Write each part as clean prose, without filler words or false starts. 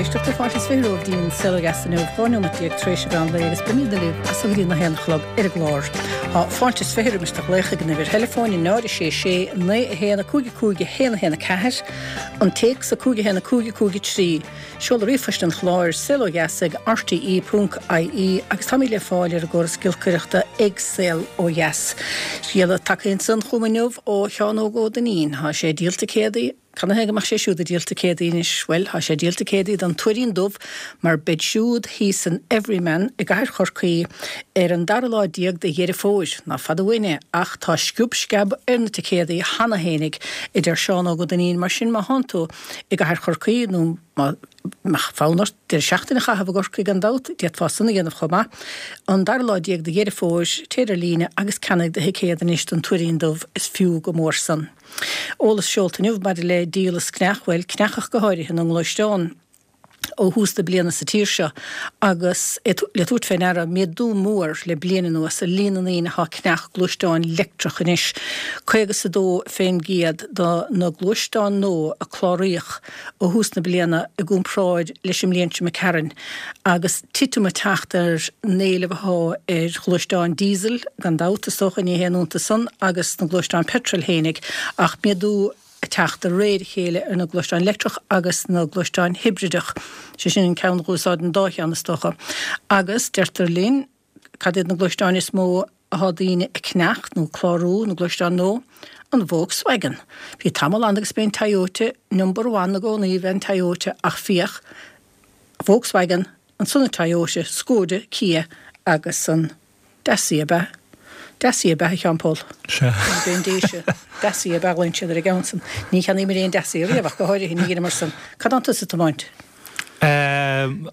éisteachta, fáilte is 20 romhaibh dtí'n Saol Ó Dheas inniu, 12 nóimeat tar éis an mheán lae agus beimidne libh as so go dtí na haon a chlog ar an gclár. Tá fáilte is 20 roimis do ghlaoch ag an uimhir theileafóin 0 6 6 9 1 5 5 1 1 4, an téacs 5 1 5 5 3. Seoladh ríomhphoist an chláir, saolodheas ag rte ponc ie agus táimid le fáil ar an gcóras giolcaireachta ag Saol Ó Dheas. Scéala tagtha ansan chugam inniu ó Sheán Óg Ó Duinnín. Tá sé ag díol ticéadaí, canathaobh go mbeadh sé siúd ag díol ticéadaí anois? Bhuel, tá sé ag díol ticéadaí don Tuairín Dubh mar beid siúd thíos san Everyman i gcathair Chorcaí ar an dara lá déag de Dheireadh Fómhair. Ná fada uainn é ach tá sciob sceab ar na ticéadaí cheana fhéinig, a deir Seán Óg Ó Duinnín, mar sin má thánn tú i gcathair Chorcaí nó má mbeadh fonn ort deireadh seachtaine a chaitheamh i gCorcaigh gan dabht, d'fhéadfá san a dhéanamh chomh maith. An dara lá déag de Dheireadh Fómhair, téir ar líne agus ceannaigh do thicéad anois don Tuairín Dubh, is fiú go mór san. Eolas seolta inniu maidir le díol is cneach, bhuel, cneach ach go háirithe, na ngluaisteán. ó thús na bliana sa tír seo agus é le tabhairt fé ndeara méadú mór le bliain anuas ar líon na ndaoine atá ag ceannach gluaisteáin leictreach anois. 50 is 2 fén gcéad do na gluaisteáin nua a cláraíodh ó thús na bliana i gcomparáid leis an mbliain seo imigh tharainn agus titim ag teacht ar an éileamh atá ar ghluaisteáin diesel gan dabht, is dócha, ní haon iontas san, agus na gluaisteáin peitril fhéinig ach méadú ag teacht de réir a chéile ar na gluaisteáin leictreach agus na gluaisteáin hibrideach, sé sin an ceann a dh'úsáideann an dá cheann is dócha. Agus deirtear linn, cad iad na gluaisteáin is mó athá daoine ag ceannacht nó ag clárú, na gluaisteáin nua? An Volkswagen. Bhí tamall ann agus b'é an Toyota number one i gcónaí b'é an Toyota ach féach, Volkswagen, ansan an Toyota, Skoda, Kia agus an. Dacia ab ea? Dacia ab ea, a Sheáin Phóil? Sea. B'é an Dacia. Dacia ab ea a ghlaonn siad ar an gceann san. Ní cheannaíomar aon Dacia riamh ach go háirithe, ní dheineamar san. Cad tánn tusa ag tiomáint?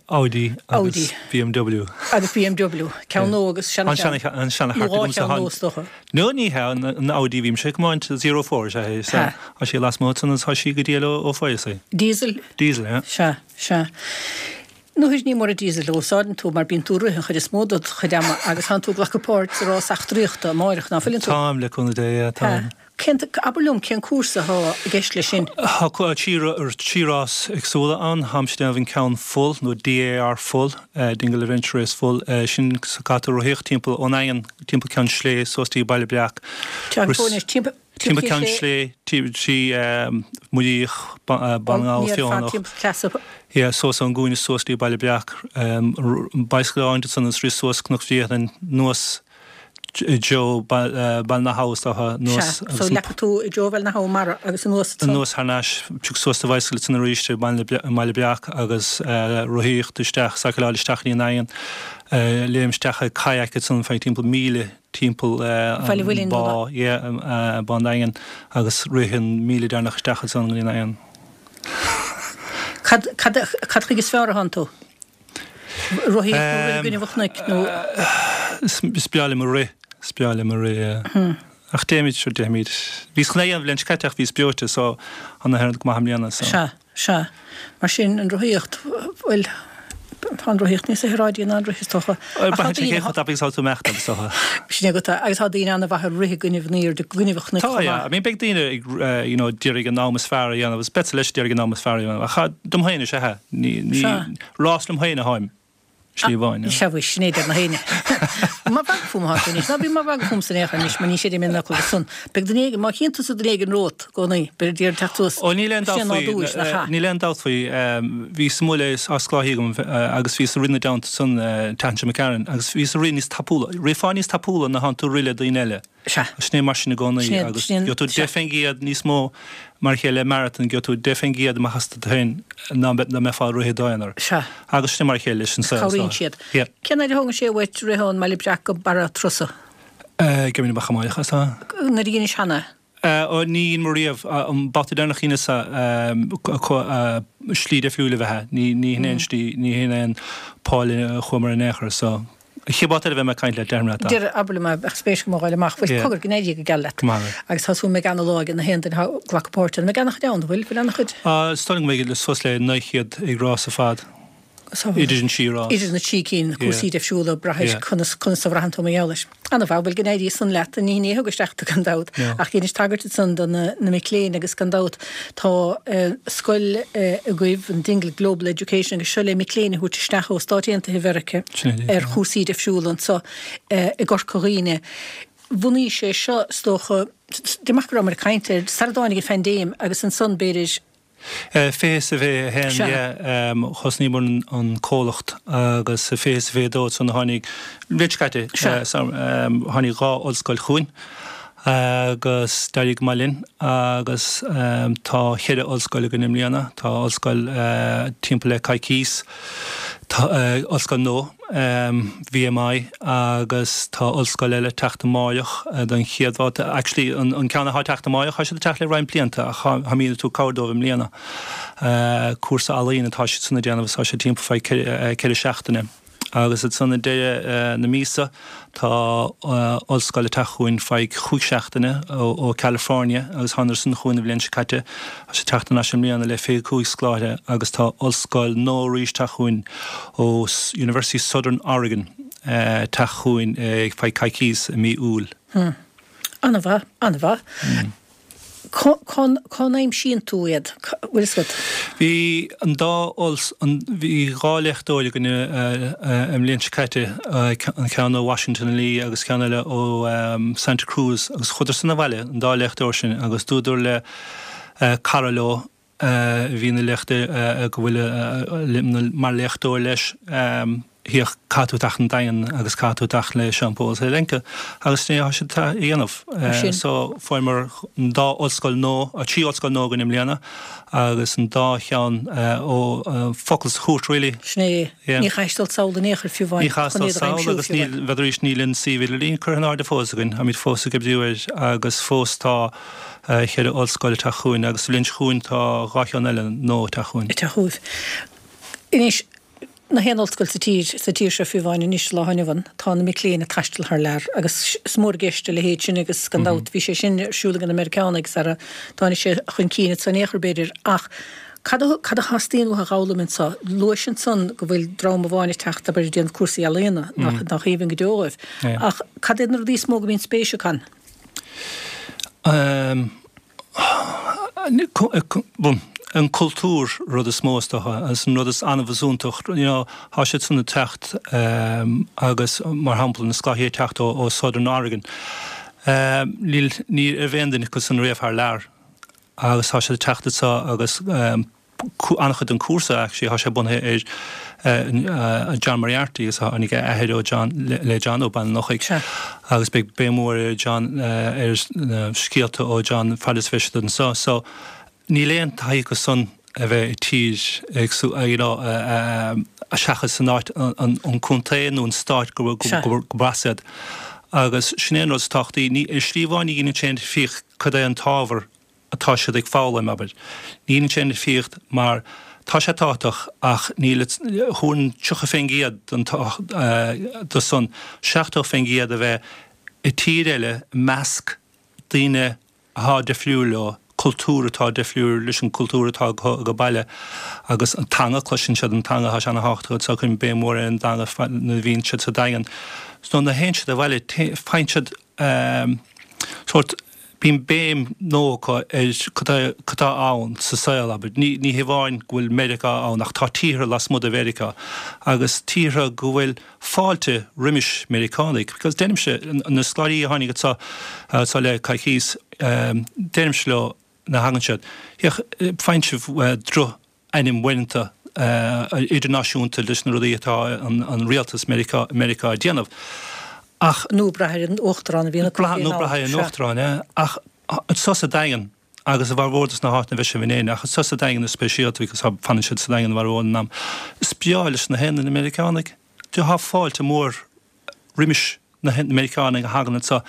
Audi agus BMW. Agus BMW. Ceann nua agus seana-cheann. An seana-chairt Nó dhá cheann nua is dócha. No, ní hea, an Audi a bhímse ag tiomáint, zero four is ea é. Sea. Tá sí lasmuigh ansan agus tá sí go diail ó feabhas í. Diesel? Diesel, yeah. Sea, sea. Nuair ní mór an diesel a úsáideann tú mar bíonn tú ag rith an chuid is mó dod chuid ama agus tánn tú ag glacadh páirt sa rás eachtraíochta amáireach, ná fuileann tú? Táim, le cúnamh Dé, yeah, táim. Cén, abair liom, cén cúrsa athá i gceist leis sin? Tá trí rás éagsúla ann. Táimse ag déanamh an ceann full, nó DAR full, Dingle Adventure Race full, sin caithfidh tú rothaíocht timpeall ón nDaingean, timpeall Ceann Slé suas dtí Baile Breac. Téann tú anois timpeall. Timpeall Ceann Slé, trí Muiríoch, Baile na nGall, Feothanach, yeah, suas ón gcúinne suas dtí Baile Breac, bicycle a fháint ansan agus rith suas Cnoc Bhriathlainn, anuas i dtreo Baile na hAbha is dócha, anuas Sea, so leagfaidh tú i dtreo Bhaile na hAbha mara agus anuas ansan. Anuas thar n-ais, pioc suas do bhicycle ansan arís i mBaile Breac agus rothaíocht isteach, cycleáil isteach go dtí an Daingean, léim isteach i kayak ansan feadh timpeall míle timpeall an bá, yeah, Bá an Daingin agus rith an míle deireanach isteach ansan go dtí an Daingean. Cad, cad, cad chuige is fearr a thánn tú? Rothaíocht nó rith i gcoinnibh an chnoic nó? Is breá liom a rith, is breá liom a rith, yeah. Ach déimid, sure déimid. Bhíos chun é a dhéanamh an bhliain seo caite ach bhíos breoite so tá na go maith i mbliana so. Sea. Sea. Mar sin, an rothaíocht, bhuel, tá an rothaíocht níos aeráidí ná an rith, is dócha. Ach tá daoine. Chomh tapaidh is atá tú ag imeacht, is dócha. Sin é agat é. Agus tá daoine an-mhaith ag rith i gcoinnibh an aoirde, i gcoinnibh an chnoic chomh maith. Tá, yeah. I mean, beidh daoine ag, you know, d'iarraidh an am is fearr a dhéanamh agus beadsa leis ag iarraidh an am is fearr a dhéanamh. Ach dom féin is ea é. Ní, ní, rás liom féin atháim. Slí amháin, yeah. Sea, bhuel, sin é a deir na héinne. Mar mhagadh fúm atá tú anois. Ná bí mar mhagadh fúmsa in aon chor anois, mar ní séideann mé an fhocal san. Beidh duine éigin, má chíonn tusa duine éigin romhat i gcónaí, beidh ag iarraidh teacht suas. Ó, níl aon dabht faoi, níl aon dabht faoi. Bhíos amuigh le á scláithí agam agus bhíos ag rith ina dteannta san an tseachtain seo imigh tharainn agus bhíos ag rith níos tapúla. Rithfeá níos tapúla nuair thánn tú ag rith le daoine eile. Sea. Sin é mar sin i gcónaí agus gheobhaidh tú 10% níos mó mar a chéile le marathon, gheobhaidh tú 10% amach as duit féin ná dá mbeifeá ag rith i d'aonar. Sea. Agus sin é mar a chéile leis an saol. Cabhraíonn siad. Yeah. Cén fhaid a thógann sé uait rith ón mBaile Breac go Barra an Trusa? Gheibh mé amach amárach as a. Nuair a dheinis cheana? Ó, ní dhein mé riamh. An babhta deireanach a dheineas slí difriúil ab ea. Ní hin é an slí, ní hin é an poll a chuamar in aon chor, so. An chéad bhabhta eile a bheidh mé ag caint leat, déarfaidh mé leat. Deir, abair liom é, bheadh spéis agam a ghoil amach. Bhuel, cogar, go n-éirí go geal leat. Go maith agat. Agus tá súil go mbeidh ana-lá ag na haon duine atá ag glacadh páirte ann. An mbeidh ana-chuid ann, an bhfuil? Bhfuil ana-chuid? Is dóigh liom go mbeidh suas le 900 ag rás ar fad. Idir an trí rás. Idir na trí cinn, cúrsaí difriúla, brath ar conas conas a bhraitheann tú mar gheall air. Ana-mhaith, bhuel go n-éirí san leat, ní ní thug isteach tú gan dabht, ach dheinis tagairt ansan do na na mic léinn agus gan dabht tá scoil agaibh, an Dingle Global Education agus seo le mic léinn a thabhairt isteach ó Stáit Aontaithe Mheiriceá ar chúrsaí difriúla anso i gCorca Dhuibhne. Bhunaigh sé seo, is dócha, deirim go rabhamar ag caint air sara dtáinig an phaindéim agus ansan b'fhéidir, 20 is 21, yeah, thosnaíomar an comhlacht agus 20 is 22 ansan a tháinig, an bhliain seo caite, tháinig dhá ollscoil chugainn agus d'éirigh go maith linn agus tá cheithre ollscoil againn i mbliana, tá ollscoil timpeall le coicís, tá ollscoil nua, VMI, agus tá ollscoil eile ag teacht amáireach don chéad bhabhta. Actually, an ceann atá ag teacht amáireach, tá siad ag teacht le roinnt blianta ach táimid ag tabhairt cabhair dóibh i mbliana. Cúrsa ealaíon atá siad san ag déanamh agus tá sé timpeall faoi 4 seachtaine. Agus ansan ag deireadh na míosa tá ollscoil ag teacht chugainn feadh chúig seachtaine ó California agus thánadar san chugainn an bhliain seo caite. Tá siad ag teacht thar n-ais i mbliana le 25 scoláire agus tá ollscoil nua arís ag teacht chugainn ó University Southern Oregon ag teacht chugainn feadh coicís i mí Iúil. Hm. An-mhaith, an-mhaith. Cá, cá, cá n-aimsíonn tú iad? Bhfuil fhios agat? Bhí an dá olls, an, bhí dhá léachtóir againn an bhliain seo caite, an ceann ó Washington and Lee agus ceann eile ó Santa Cruz agus chuadar san abhaile, an dá léachtóir sin, agus dúradar le cara leo a bhí ina léachtóir, go bhfuil mar léachtóir leis, féach, caithfidh tú teacht 'on Daingean agus caithfidh tú teacht le Seán Pól Zelenka agus sin é atá siad a dhéanamh. So fuaireamar an dá ollscoil nua, trí ollscoil nua againn i mbliana agus an dá cheann ó focal sa chúirt really. Sin é. Ní chaithfidh dul sall in aon chor fiú amháin Ní chaithfidh dul sall agus níl, bheadh arís níl an suíomh idirlín curtha in airde fós againn, táimid fós ag oibriú air agus fós tá cheithre ollscoil ag teacht chugainn agus sa bhliain seo chugainn tá dhá cheann eile nua ag teacht chugainn. Ag teacht chugaibh. Anois, na haon ollscoil sa tír, sa tír seo fiú amháin anois sa lá inniu ann, tá na mic léinn ag taisteal thar lear agus is mór i gceist a leithéid sin agus gan dabht bhí sé sin ar siúl ag na Meiriceánaigh sara dtáinig sé chun cinn anso in aon chor b'fhéidir ach cad a cad a theastaíonn uathu a dh'fhoghlaim anso? Luais ansan go bhfuil dream amháin ag teacht abair ag déanamh cúrsaí ealaíona nach nach aoibhinn go deo dhóibh ach cad iad na rudaí is mó go mbíonn spéis acu ann? An cultúr rud is mó is dócha agus an rud is annamh is iontach you know tá siad san ag teacht agus mar shampla na scoláirí ag teacht ó Southern Oregon níl ní raibh aon duine acu san riamh thar lear agus tá siad ag teacht anseo agus an-chuid den chúrsa actually tá sé bunaithe ar John Moriarty agus tháinig a athair ó John le John ó Baile an Lochaigh agus beidh béim mhór ar John ar na scéalta ó John fad is a bheidh siad anseo. So níl aon taithí acu san a bheith i tír éagsúil you know seachas san áit an contae nó an stát go gurb as iad. Agus sin é an rud is tábhachtaí. Ní ar shlí amháin ní dhéanann sé aon difríocht cad é an t-ábhar atá siad ag foghlaim, abair. Ní dhéanann sé aon difríocht mar tá sé tábhachtach ach níl, thabharfainn 30% den de san, 70% a bheith i tír eile i measc daoine atá difriúil leo, cultúr atá difriúil leis an gcultúr atá acu ag baile agus an teanga, cloiseann siad an teanga, tá sé ana-thábhachtach anso, cuirim béim mhór ar an dteanga nuair a bhíonn siad sa Daingean. So nuair a théann siad abhaile, faigheann siad sórt, bíonn béim nua acu ar cad atá ann sa saol, abair. Ní ní hamháin go bhfuil Meiriceá ann ach tá tíortha lasmuigh de Mheiriceá agus tíortha go bhfuil fáilte roimis Meiriceánaigh. Because deirimse, na scoláirí a tháinig anso anso le coicís, deirimse leo nuair a thagann siad, féach, faigheann sibh droch ainm uaireanta idirnáisiúnta leis na rudaí atá an rialtas Meiriceá Meiriceá ag déanamh. Ach. Nó brath ar an uachtarán a bhíonn acu féin ann. Nó brath ar an uachtarán, yeah. Ach anso sa Daingean, agus i bhformhór dos na háiteanna a bheidh sibh in Éirinn, ach anso sa Daingean is speisialta because fanann siad sa Daingean an formhór den am, is breá leis na haon duine Meiriceánaigh. Tá fáilte mór roimis na Meiriceánaigh a thagann anso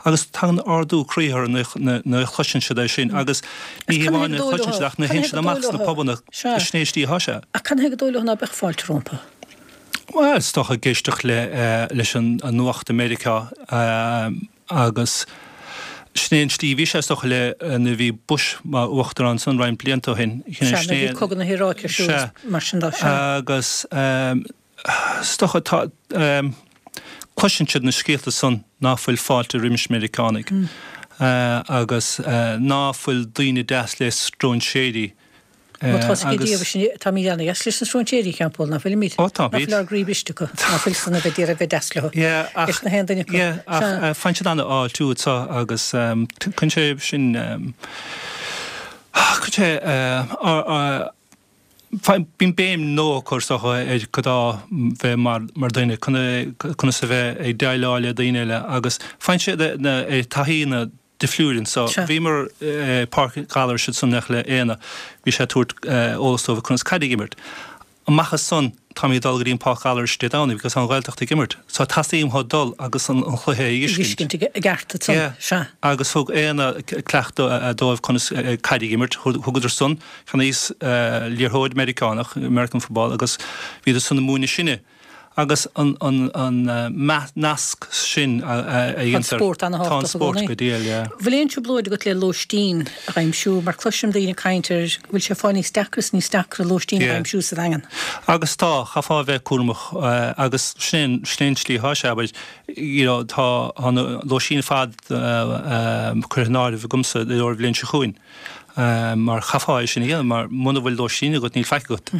agus tagann ardú croí orthu nuair a chloiseann siad é sin agus ní hamháin nuair a chloiseann siad ach nuair a théann siad amach sna pubanna sin é an tslí atá sé. Ach cad chuige gur dóigh leo ná beadh fáilte rompu? Bhuel, is dócha ag éisteacht le leis an nuacht i Meiriceá agus. Sin é an tslí a bhí sé is dócha le nuair a bhí Bush mar uachtarán ansan roinnt blianta ó shin. Sea, nuair a bhí cogadh na hIaráice ar siúl is mar sin de. Sea. Agus is dócha tá, cloiseann siad na scéalta san ná fuil fáilte roimis Meiriceánaigh agus ná fuil daoine deas le stróinséirí Má tá 's ag Dia sin, táimid ana-dheas leis na stróinséirí, a Sheáin Phóil, ná fuilimid? Ó tá, Ná fuil ár gcroí briste acu? Ná fuil san a bheith d'iarraidh bheith deas leo? Yeah, ach, Leis na haon duine acu. yeah, ach Sea. faigheann siad an-fháiltiú anseo agus cuireann sé sin, cuireann sé, bíonn béim nua á cur is dócha ar cad é bheith mar, mar duine, conas a bheith ag déileáil le daoine eile agus faigheann siad na, taithí na, difriúil anseo. Bhíomar i Páirc Ghallarais ansan le Éanna, bhí sé ag tabhairt eolas dóibh conas caid a imirt. Amach as san táimid ag dul go dtí an Páirc Ghallarais Dé Domhnaigh because tá an Ghaeltacht ag imirt. So teastaíonn uathu dul agus an chluiche a fheiscint. Fheiscint i gceart ansan, Yeah. sea. Agus thug Éanna cleachtadh dóibh conas caid a imirt. Thugadar san, cheannaíos liathróid Meiriceánach, American football, agus bhíodar san ag múineadh sinne. Agus an nasc sin a dhéantar, tá an spórt go diail, yeah. Bhfuil aon trioblóid agat le lóistín a aimsiú? Mar cloisim daoine ag caint ar go bhfuil sé ag fáil níos deacra is níos deacra lóistín a aimsiú sa Daingean. Agus tá, chaithfeá a bheith cúramach agus sin é an tslí atá sé, abair, you know, tá an lóistín ar fad curtha in áirithe agamsa i gcomhair an bhliain seo chugainn. Mar chaithfeá é sin a dhéanamh, mar muna bhfuil lóistín agat níl faic agat.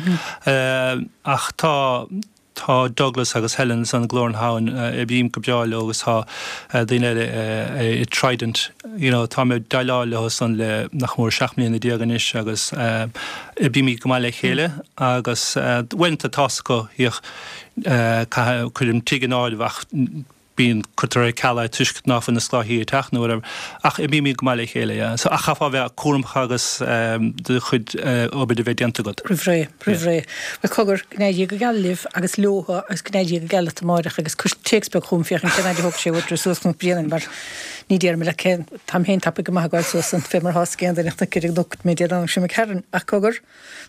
Ach tá, tá Douglas agus Helen ansan i nGlór na hAbhann, oibrím go breá leo agus tá daoine eile i Trident, you know, tá mé ag déileáil leo san le nach mór 17 mbliana anois agus oibrímid go maith le chéile agus uaireanta tá's acu, bhíodh, caithfidh, cuirim tigh in áirithe ach bíonn, cuirtear ar ceal é toisc ná fuil na scoláirí ag teacht nó whatever. Ach oibrímid go maith le chéile, yeah. So, ach chaithfeá a bheith cúramach agus do chuid obair a bheith déanta agat. Roimh ré, roimh ré. Bhuel, cogar, go n-éirí Dia go geal libh agus leotha agus go n-éirí Dia go geal leat amáireach agus cuir téacs beag chugam féachaint cén fhaid a thógfaidh sé uait dul suas Cnoc Bréanainn mar ní déarfaidh mé leat cén, táim féin tapaidh go maith ag gabháil suas ann fé mar atá ag aon duine ach ar an gcnoc mé Dé Domhnaigh seo imigh tharainn. Ach cogar.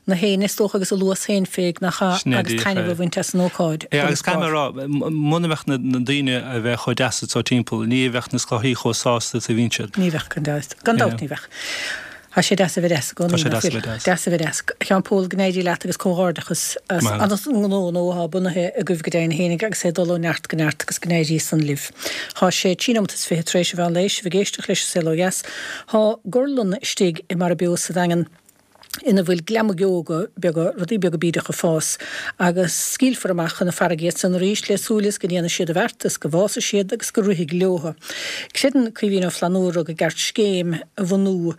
na héinne, is dócha, agus a luas féin féig nach ea, agus taitneamh a bhaint as an ócáid Yeah, agus caithfidh mé a rá, muna mbeadh na daoine a bheith chomh deas anseo timpeall, ní bheadh na scoláirí chomh sásta is a bhíonn siad. Ní bheadh, gan dabht. Gan dabht ní bheadh. Tá sé deas a bheith deas i gcónaí, Tá sé deas a bheith deas. Deas a bheith deas. A Sheáin Phóil, go n-éirí leat agus comhghairdeachas as an ngnó nua atá bunaithe agaibh go deimhin fhéinig agus é ag dul ó neart go neart agus go n-éirí san libh. Tá sé 3 nóimeat is 20 tar éis an mheán lae, sibh ag éisteacht leis An Saol Ó Dheas. Tá gorlann istigh i Mara Beo sa Daingean. ina bhfuil gliomaigh beaga, rudaí beaga bídeach ag fás, agus scaoilfear amach chun na farraige iad san arís le súil is go ndéanfaidh siad a bheart is go bhfásfaidh siad agus go rithfidh leotha. Creideann Caoimhín Ó Flannúra go gceart scéim a bhunú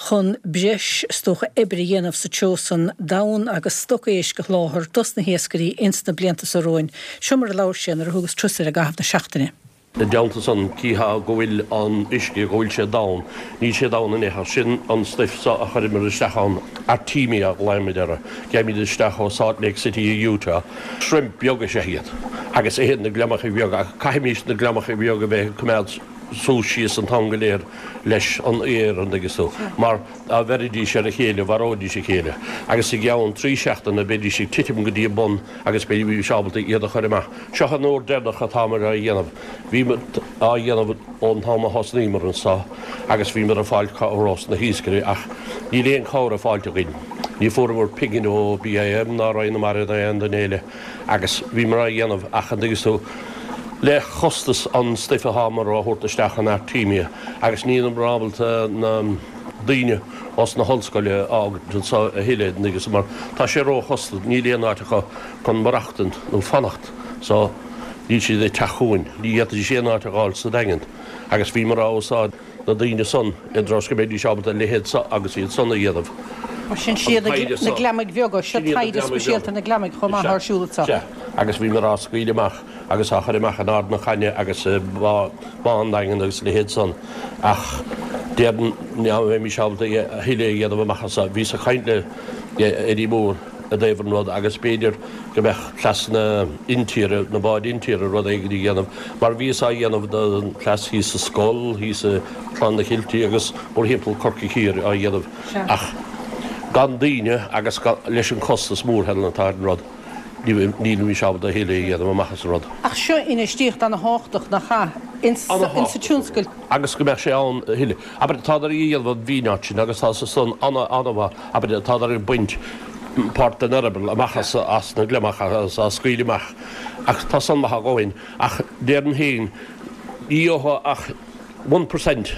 chun breis, is dócha, oibre a dhéanamh sa treo san d'fhonn agus stoc éisc a sholáthar dos na hiascairí ins na blianta so romhainn. Seo mar a labhair sé nuair a thugas turas air i gcaitheamh na seachtaine. I dteannta san, cífeá go bhfuil an uisce, go bhfuil sé donn. Níl sé donn in aon chor. Sin an stuif so a chuireamar isteach ann, Artemia a ghlaoimid orthu. Gheibhimid isteach ó Salt Lake City i Utah. Shrimp beag is ea iad agus itheann na gliomachaí beaga ach caithfimís na gliomachaí beaga a bheith ag coimeád suas síos an t-am go léir leis an aer, an dtuigeann tú, mar dá bheiridís ar a chéile, mharóidís a chéile agus i gceann trí seachtaine beidís ag titim go dtí an bun agus beimís ábalta iad a chur amach. Seo an uair deireanach atáimid á dhéanamh. Bhíomar á dhéanamh ón t-am a thosnaíomar anso agus bhíomar ag fáil cabhair ós na hiascairí ach níl aon cabhair faighte againn. Ní fuaireamar pingin ó BIM ná Roinn na Mara ná aon duine eile agus bhíomar á dhéanamh ach an dtuigeann tú le costas an stuif atáimar á thabhairt isteach an Artemia agus níleamar ábalta na daoine ós na hollscoile a fhágaint anso a thuilleadh an dtuigeann tú mar tá sé ró-chostasach níl aon áit acu chun maireachtaint nó fanacht so níl siad ag teacht chugainn. Ní fhéadfaidís aon áit a dh'fháil sa Daingean agus bhíomar á úsáid na daoine san i dtreo is go mbeidís ábalta a leithéid so agus iad san a dhéanamh. Mar sin siad na gliomaigh bheaga, seo taighde speisialta na gliomaigh chomh maith ar siúl anseo. Sea, agus bhíomar á scaoileadh amach agus á chur amach in Ard na Caithne agus i Bá an Daingin agus a leithéid san ach déarfainn ná bheimis ábalta a thuilleadh a dhéanamh amach anso. Bhíos ag caint le Eddie Mór i dtaobh an rud agus b'fhéidir go mbeadh cleas na intíre, na báid intíre rud éigin a dhéanamh mar bhíos á dhéanamh don chleas thíos sa Scoil, thíos i Clanna Chiltigh agus mórthimpeall Corcaigh Thiar á dhéanamh ach gan daoine agus leis an costas mór Helen atá ar an rud. Nílimís ábalta a thuilleadh a dhéanamh amach as an rud. Ach seo infheistíocht ana-thábhachtach, nach ea, insa tionscal. Agus go mbeadh sé ann a thuilleadh. Abair, tádar ag déanamh an mhíneáit sin agus tá san ana-mhaith, abair, tádar ag baint páirt den eireaball amach as na gliomach agus á scaoileadh amach ach tá san maith a dhóthain. Ach déarfainn féin, ní gheofá ach 1%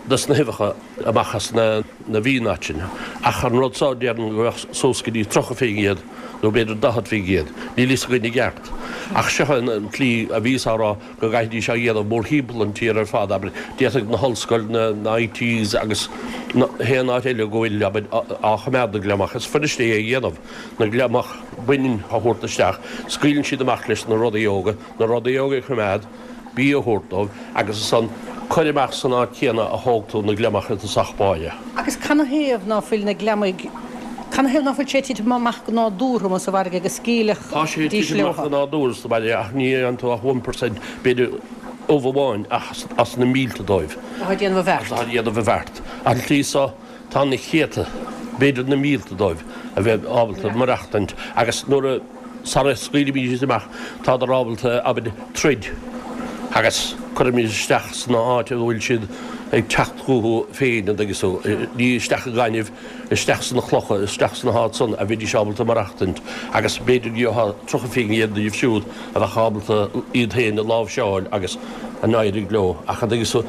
des na huibheacha amach as na mhíneáit sin. Ach an rud so, déarfainn go mbeadh suas go dtí 30% nó b'fhéidir 40%. Níl fhios againn i gceart. Ach seo an tslí a bhíos á rá go gcaithfidís á dhéanamh mórthimpeall an tír ar fad, abair, d'fhéadfadh na hollscoileanna, na ITs agus haon áit eile go bhfuil, abair, á choimeád na gliomach. Is fuiriste é a dhéanamh, na gliomach baineann a thabhairt isteach, scaoileann siad amach leis na rudaí óga, na rudaí óga a choimeád, bia a thabhairt dóibh agus ansan cuir amach san áit chéanna a thóg tú na gliomach i dtosach báire. Agus canathaobh ná fuil na gliomaigh, canathaobh ná fuil sé ag titim amach go nádúrtha amuigh sa bhfarraige go scaoilfeadh Tá sé ag dís titim amach leotha? go nádúrtha sa bhfarraige ach ní fhaigheann tú ach one percent, b'fhéidir ubh amháin as na mílte dóibh. Atá ag déanamh a bheart. Atá ag déanamh a bheart. An tslí so, tá na céadta, b'fhéidir na mílte dóibh a bheith ábalta maireachtaint agus nuair a. Sara scaoilimid iad amach, tádar ábalta, abair, troid agus cuirimid isteach san áit a bhfuil siad ag teacht chucu féin, an dtuigeann tú, ní isteach i ngaineamh, isteach sna clocha, isteach sna háit san a bheidís ábalta maireachtaint agus b'fhéidir go gheofá 30% díobh siúd a bheadh ábalta iad féin a láimhseáil agus a n-éirigh leo. Ach an dtuigeann tú,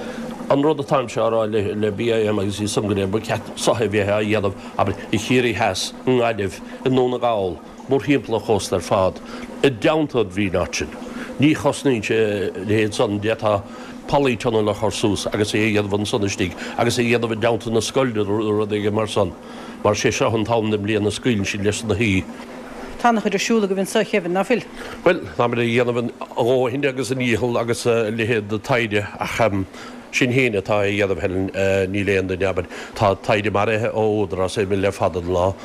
an rud atáimse á rá le BIM agus iad san go léir, ba cheart seo a bheith á dhéanamh, abair, i Chiarraí Theas, i nGaillimh, i nDún na nGall, mórthimpeall an chósta ar fad, i dteannta an mhíneáit sin. Ní chosnaíonn sé a leithéid san, d'fhéadfá polytunnel a chur suas agus é a dhéanamh ansan istigh agus é a dhéanamh i dteannta na scoile nó rud éigin mar san, mar sé seo an t-am den mbliain a scaoileann siad leis na haoi. Tá an-chuid ar siúl agaibh anso, a Kevin, ná fuil? Bhuel, táimid ag déanamh a dhóthain agus a ndícheall agus a leithéid de taighde ach sinn féin atá á dhéanamh, Helen, níl aon duine, abair, tá taighde maraithe ó Údarás imill le fada an lá.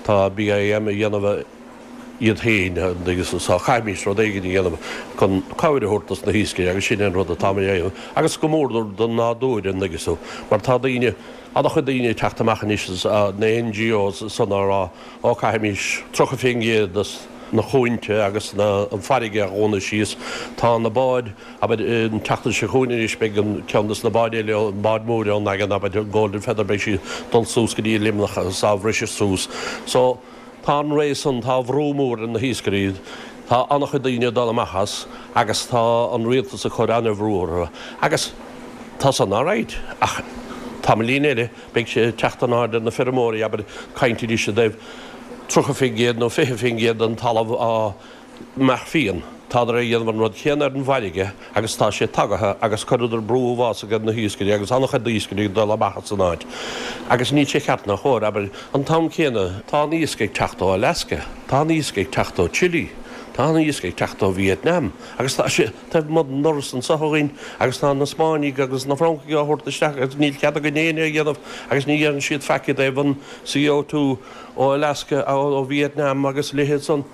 Tá BIM a dhéanamh iad féin agus so caithfimís rud éigin a dhéanamh chun cabhair a thabhairt dos na hiascairí agus sin é an rud atáimid a dhéanamh agus go mór don nádúr an dtuigeann tú mar tá daoine, an-chuid daoine ag teacht amach anois na NGOs san á rá ó caithfimís 30% dos na cuanta agus na an farraige a dhúnadh síos. Tá na báid Abair, an tseachtain seo chugainn anois beidh an ceann des na báid eile, an bád mór ón nDaingean, abair, an Golden Feather, beidh sí ag dul suas go dtí Luimneach agus á bhriseadh suas. So, tá an ré san, tá brú mór ar na hiascairí, tá an-chuid daoine ag dul amach as agus tá an rialtas ag cur an-bhrú orthu. Agus tá san alright, ach tamaillín eile beidh sé ag teacht in airde ar na feirmeoirí, abair, caint anois i dtaobh 30% nó 20% den talamh á mbeadh fian. Tádar ag déanamh an rud céanna ar an bhfarraige agus tá sé tagaithe agus chuireadar brú uafásach ar na hiascairí agus an-chuid iascairí ag dul amach as an áit. Agus níl sé ceart ná chóir, abair, an t-am céanna tá an iasc ag teacht ó Alaska, tá an iasc ag teacht ó Chile, tá an iasc ag teacht ó Vietnam agus tá sé taobh amuigh den ndoras anso againn agus tá na Spáinnigh agus na Francaigh á thabhairt isteach agus níl cead againn éinne a dhéanamh agus ní dhéanann siad faic i dtaobh an CO2 ó Alaska, ó Vietnam agus a leithéid san.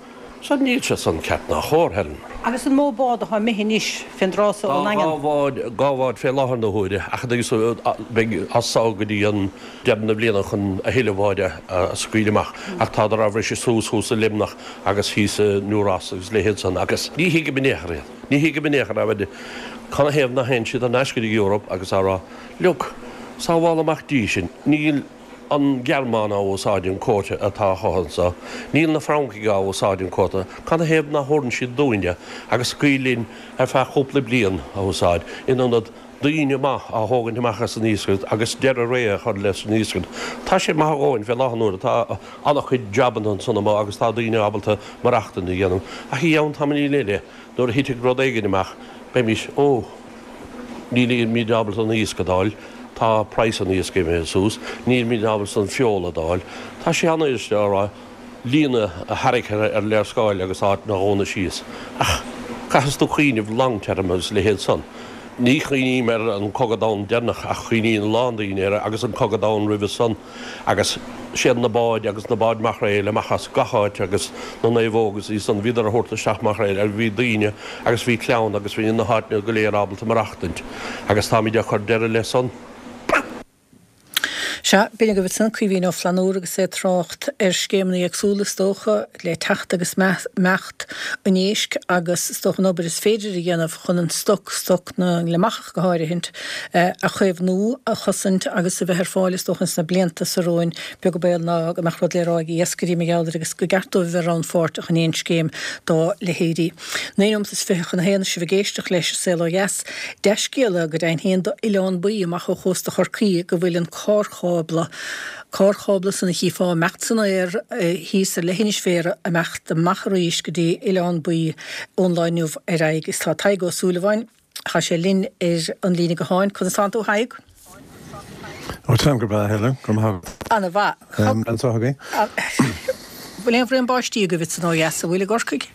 So níl sé san ceart ná chóir, Helen. Agus an mó bád atá imithe anois fén dtráth so ón Tá nDaingean? dhá bhád, dhá bhád fé láthair na huaire ach beidh as so go dtí an deireadh na bliana chun a thuilleadh báid a scaoileadh amach ach tádar á bhriseadh suas thuas i Luimneach agus thíos i New Ross agus leithéid san agus ní thuigim in aon chor iad. Ní thuigim in aon chor abair canathaobh nach théann siad thar n-ais go dtí Europe agus á rá look, sábháil amach dís sinn, níl an Ghearmáin á úsáid an quota atá acu anso. Níl na Francaigh á úsáid an quota. Canathaobh nach thabharann siad dúinne agus scaoil linn ar feadh chúpla bliain a úsáid in ionad daoine maith á thógaint amach as an iascaireacht agus deireadh ré a chur leis an iascaireacht. Tá sé maith a dhóthain fé láthair na huaire. Tá an-chuid jabanna ansan amuigh agus tá daoine ábalta maireachtaint a dhéanamh. Ach i gceann tamaillín eile nuair a thitfidh rud éigin amach beimís, ó, Nílimid ábalta an iasc a d'fháil, tá praghas an iasc imithe suas, nílimid ábalta an feoil a d'fháil. Tá sé an-fhuiriste a rá líne a tharrac ar léarscáil agus áit a dhúnadh síos. Ach caithfidh tú cuimhneamh long term agus a leithéid san. Ní chuimhním ar an Cogadh Domhanda deireanach ach cuimhníonn a lán daoine air agus an Cogadh Domhanda roimhe san. Agus siad na báid agus na báid maicréil amach as gach áit agus na naomhóga is iad san, bhíodar a thabhairt isteach maicréil agus bhí daoine agus bhí clann agus bhí na háiteanna go léir ábalta maireachtaint agus táimid ag cur deireadh le san. Sea. Sea, b'in agaibh ansan Caoimhín Ó Flannúra agus é ag trácht ar scéimeanna éagsúla is dócha le teacht agus imeacht an éisc agus is dócha an obair is féidir a dhéanamh chun an stoc, stoc na ngliomachach go háirithint, a chaomhnú, a chosaint agus a bheith ar fáil is dócha ins na blianta so romhainn, beag an baol ná go mbeadh rud le rá ag iascairí mar gheall air agus gur ceart dóibh a bheith rannpháirteach in aon scéim dá leithéidí. 9 nóimeat is 20 chun a haon is sibh ag éisteacht leis An Saol Ó Dheas. Dea-scéala go deimhin féin do Oileán Buí amach ó chósta Chorcaí go bhfuil an carrchábla, carrchábla san a chífeá ag imeacht san aer thíos ar leithinis Bhéarra, ag imeacht amach arís go dtí Oileán Buí ón lá inniu ar aghaidh. Is tá Tadhg Ó Súilleabháin, tá sé linn ar an líne gutháin. Conas tánn tú a Thaidhg? Ó táim go breá, Helen. Go raibh maith agat. Ana mhaith. Anseo againn. Bhfuil aon bhraon báistí agaibh ansan ó dheas, an bhfuil i gCorcaigh?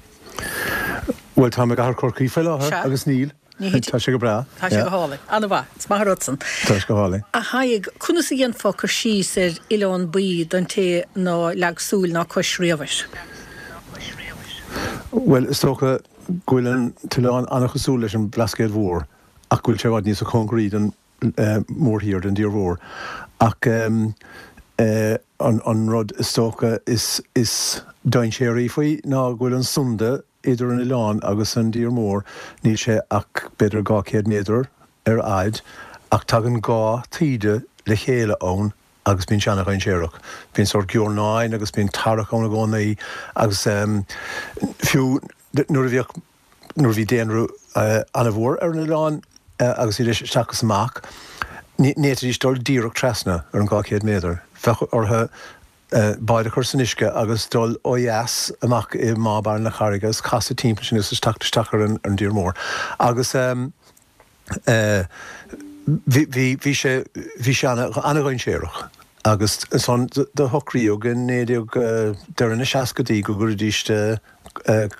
Bhuel, táim i gcathair Chorcaí faoi láthair Sea. agus níl. Ní thit. Tá sé go breá. Tá sé go hálainn. Ana mhaith. Is maith an rud san. Tá sé go hálainn. A Thaidhg, conas a dhéanfá cur síos ar Oileán Buí don té ná leag súil ná cois riamh air? Bhuel, is dócha go bhfuil an t-oileán an-chosúil leis an Bhlascaod Mhór ach go bhfuil sé i bhfad níosa cóngaraí don mórthír, don dtír mhór. Ach an rud is dócha is dainséaraí faoi ná go bhfuil an sunda idir an oileán agus an dtír mhór, níl sé ach b'fhéidir 200 méadar ar fhaid, ach tagann dhá taoide le chéile ann agus bíonn sé ana-dhainséarach. Bíonn sórt giornáin agus bíonn tarrac ann i gcónaí agus fiú nuair a bhíodh nuair a bhí daonra an-mhór ar an oileán agus iad isteach is amach, ní fhéadfaidís dul díreach trasna ar an 200 méadar. Bheadh orthu báid a chur san uisce agus dul ó dheas amach i mBá Barra na Carraige agus casadh timpeall sin agus teacht isteach ar an dtír mór. Agus bhí, bhí sé, bhí sé ana-dhainséarach. Agus ansan do shocraíodh i 19, deireadh na seascaidí go gcuirfidís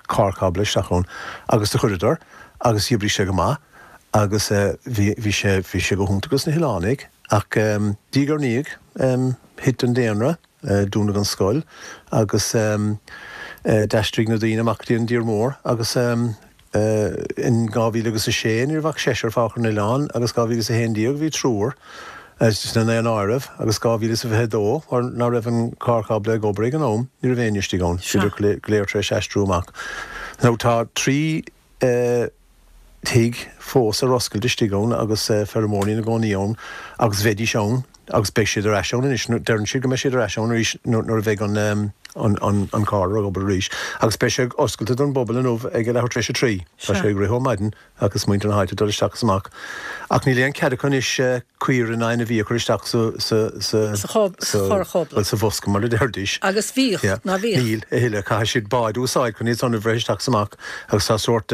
carrchábla isteach ann agus do chuireadar agus d'oibrigh sé go maith agus bhí, bhí sé, bhí sé go hiontach dos na hoileánaigh ach diaidh ar ndiaidh thit an daonra, dúnadh an scoil agus d'aistrigh na daoine amach go dtí an dtír mór agus In 2000 agus a sé ní raibh ach seisear fágtha ar an oileán agus 2011 bhí triúr sna ndaonáireamh agus 2022 mar ná raibh an carrchábla ag obair ag an am ní raibh éinne istigh ann, bhíodar go léir tar éis aistriú amach. Now tá 3 thigh fós ar oscailt istigh ann agus feirmeoirí ina gcónaí ann agus bheidís ann agus beidh siad ar ais ann anois, deireann siad go mbeidh siad ar ais ann arís nuair a bheidh an an carr ag obair arís agus beidh sé oscailte don bpobal inniu ag a leathuair tar éis a trí. Tá sé ag rith ó maidin agus muintir na háite ag dul isteach is amach. Ach níl aon cead acu anois caora ná ainmhí a chur isteach sa sa sa sa charrchábla. Bhuel sa bhosca mar a deirdís. Agus bhíodh, ná bhíodh? Níl a thuilleadh. Caithfidh siad báid a úsáid chun iad san a bhreith isteach is amach agus tá sórt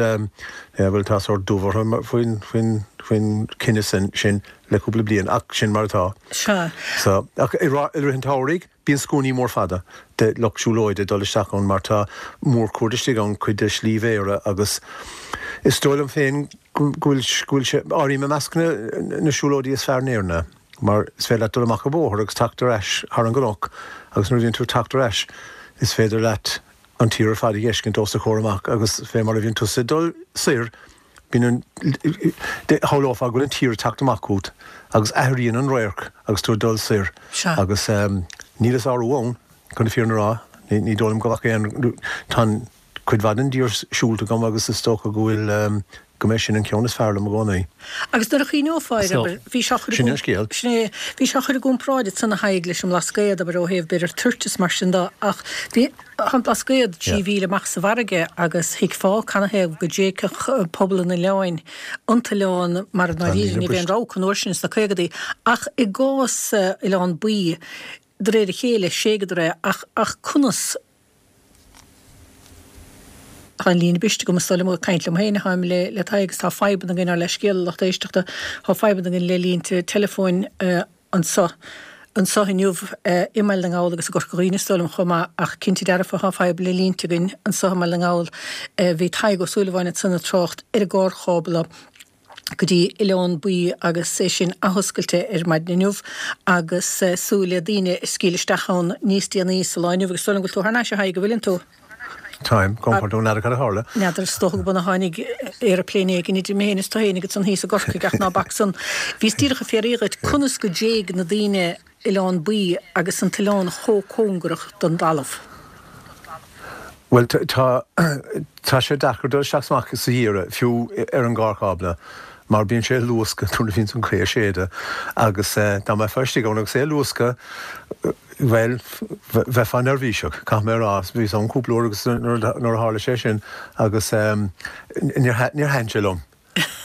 bhuel tá sórt dubh orthu faoin faoin faoin cinneadh sin le cúpla bliain ach sin mar atá. Sea. So, ach i rith an tsamhraidh, bíonn scuainí mór fada de lucht siúlóide ag dul isteach ann mar tá mórchuaird istigh ann, cuid de Shlí Bhéarra agus is dóigh liom féin go bhfuil, go bhfuil sé, áirím i measc na, na siúlóidí is fearr in Éirinn é mar is féidir leat dul amach an bóthar agus teacht ar ais thar an gcnoc agus nuair a bhíonn tú ag teacht ar ais is féidir leat an tír ar fad a dh'fheiscint os do chomhair amach agus fé mar a bhíonn tusa ag dul soir Bíonn an, shamhlófá go bhfuil an tír ag teacht amach chugat agus athraíonn an radharc agus tú ag dul soir Sea. agus níl a sárú ann, chun na fírinne a rá. Ní dóigh liom go bhfaca aon, tá cuid mhaith den dtír siúlta agam agus is dócha go bhfuil, go mbeidh sin an ceann is fearr liom i gcónaí. Agus nuair a chuimhneofá air, So, abair, bhí sé á chur i sin an scéal. Sin é, bhí sé á chur i gcomparáid ansan a Thaidhg leis an mBlascaod, abair, ó thaobh b'fhéidir toirt is mar sin de, ach bhí, Tá an Blascaod 3 mhíle amach sa bhfarraige agus thuigfeá canathaobh go dtréigfeadh pobal an oileáin an t-oileán mar i ndáiríre ní raibh aon rogha acu an uair sin sna caogadaí. Ach i gcás Oileán Buí, de réir a chéile, thréigeadar é ach ach conas? Tá an líne briste agam is dóigh liom, ag caint liom féin atáim le le Tadhg agus tá fadhbanna againn ár leithscéal a lucht éisteachta, tá fadhbanna againn le línte teileafóin. anseo anseo inniu i mBaile na nGall agus i gCorca Dhuibhne is dóigh liom chomh maith ach cinnte dearfa tá fadhb le línte againn anseo i mBaile na nGall. Bhí Tadhg Ó Súilleabháin ansan ag trácht ar an gcarrchábla go dtí Oileán Buí agus é sin athoscailte ar maidin inniu agus súil le daoine ag scaoileadh isteach ann níos déanaí sa lá inniu agus is dóigh liom go bhfuil tú thar n-ais a Thaidhg, an bhfuileann tú? Táim, gabh mo pardún, n'fheadar cad a tharla. N'fheadar, is dócha go b'in a tháinig aeroplane éigin idir mé féin is tú féin ansan thíos i gCorcaigh ach ná bac san. Bhíos díreach ag fiafraí dhuit conas go dtéigh na daoine. Oileán Buí agus an t-oileán chomh cóngarach don dtalamh? Bhuel, tá, tá sé deacair dul isteach is amach sa gheimhreadh, fiú ar an gcarr cábla, mar bíonn sé ag luascadh nuair a bhíonns an ghaoth ag séideadh agus dá mbeifeá istigh ann agus é ag luascadh, bhuel, bheifeá neirbhíseach, caithfidh mé a rá. Bhíos ann cúpla uair agus nuair a tharla sé sin agus níor thaitin sé liom.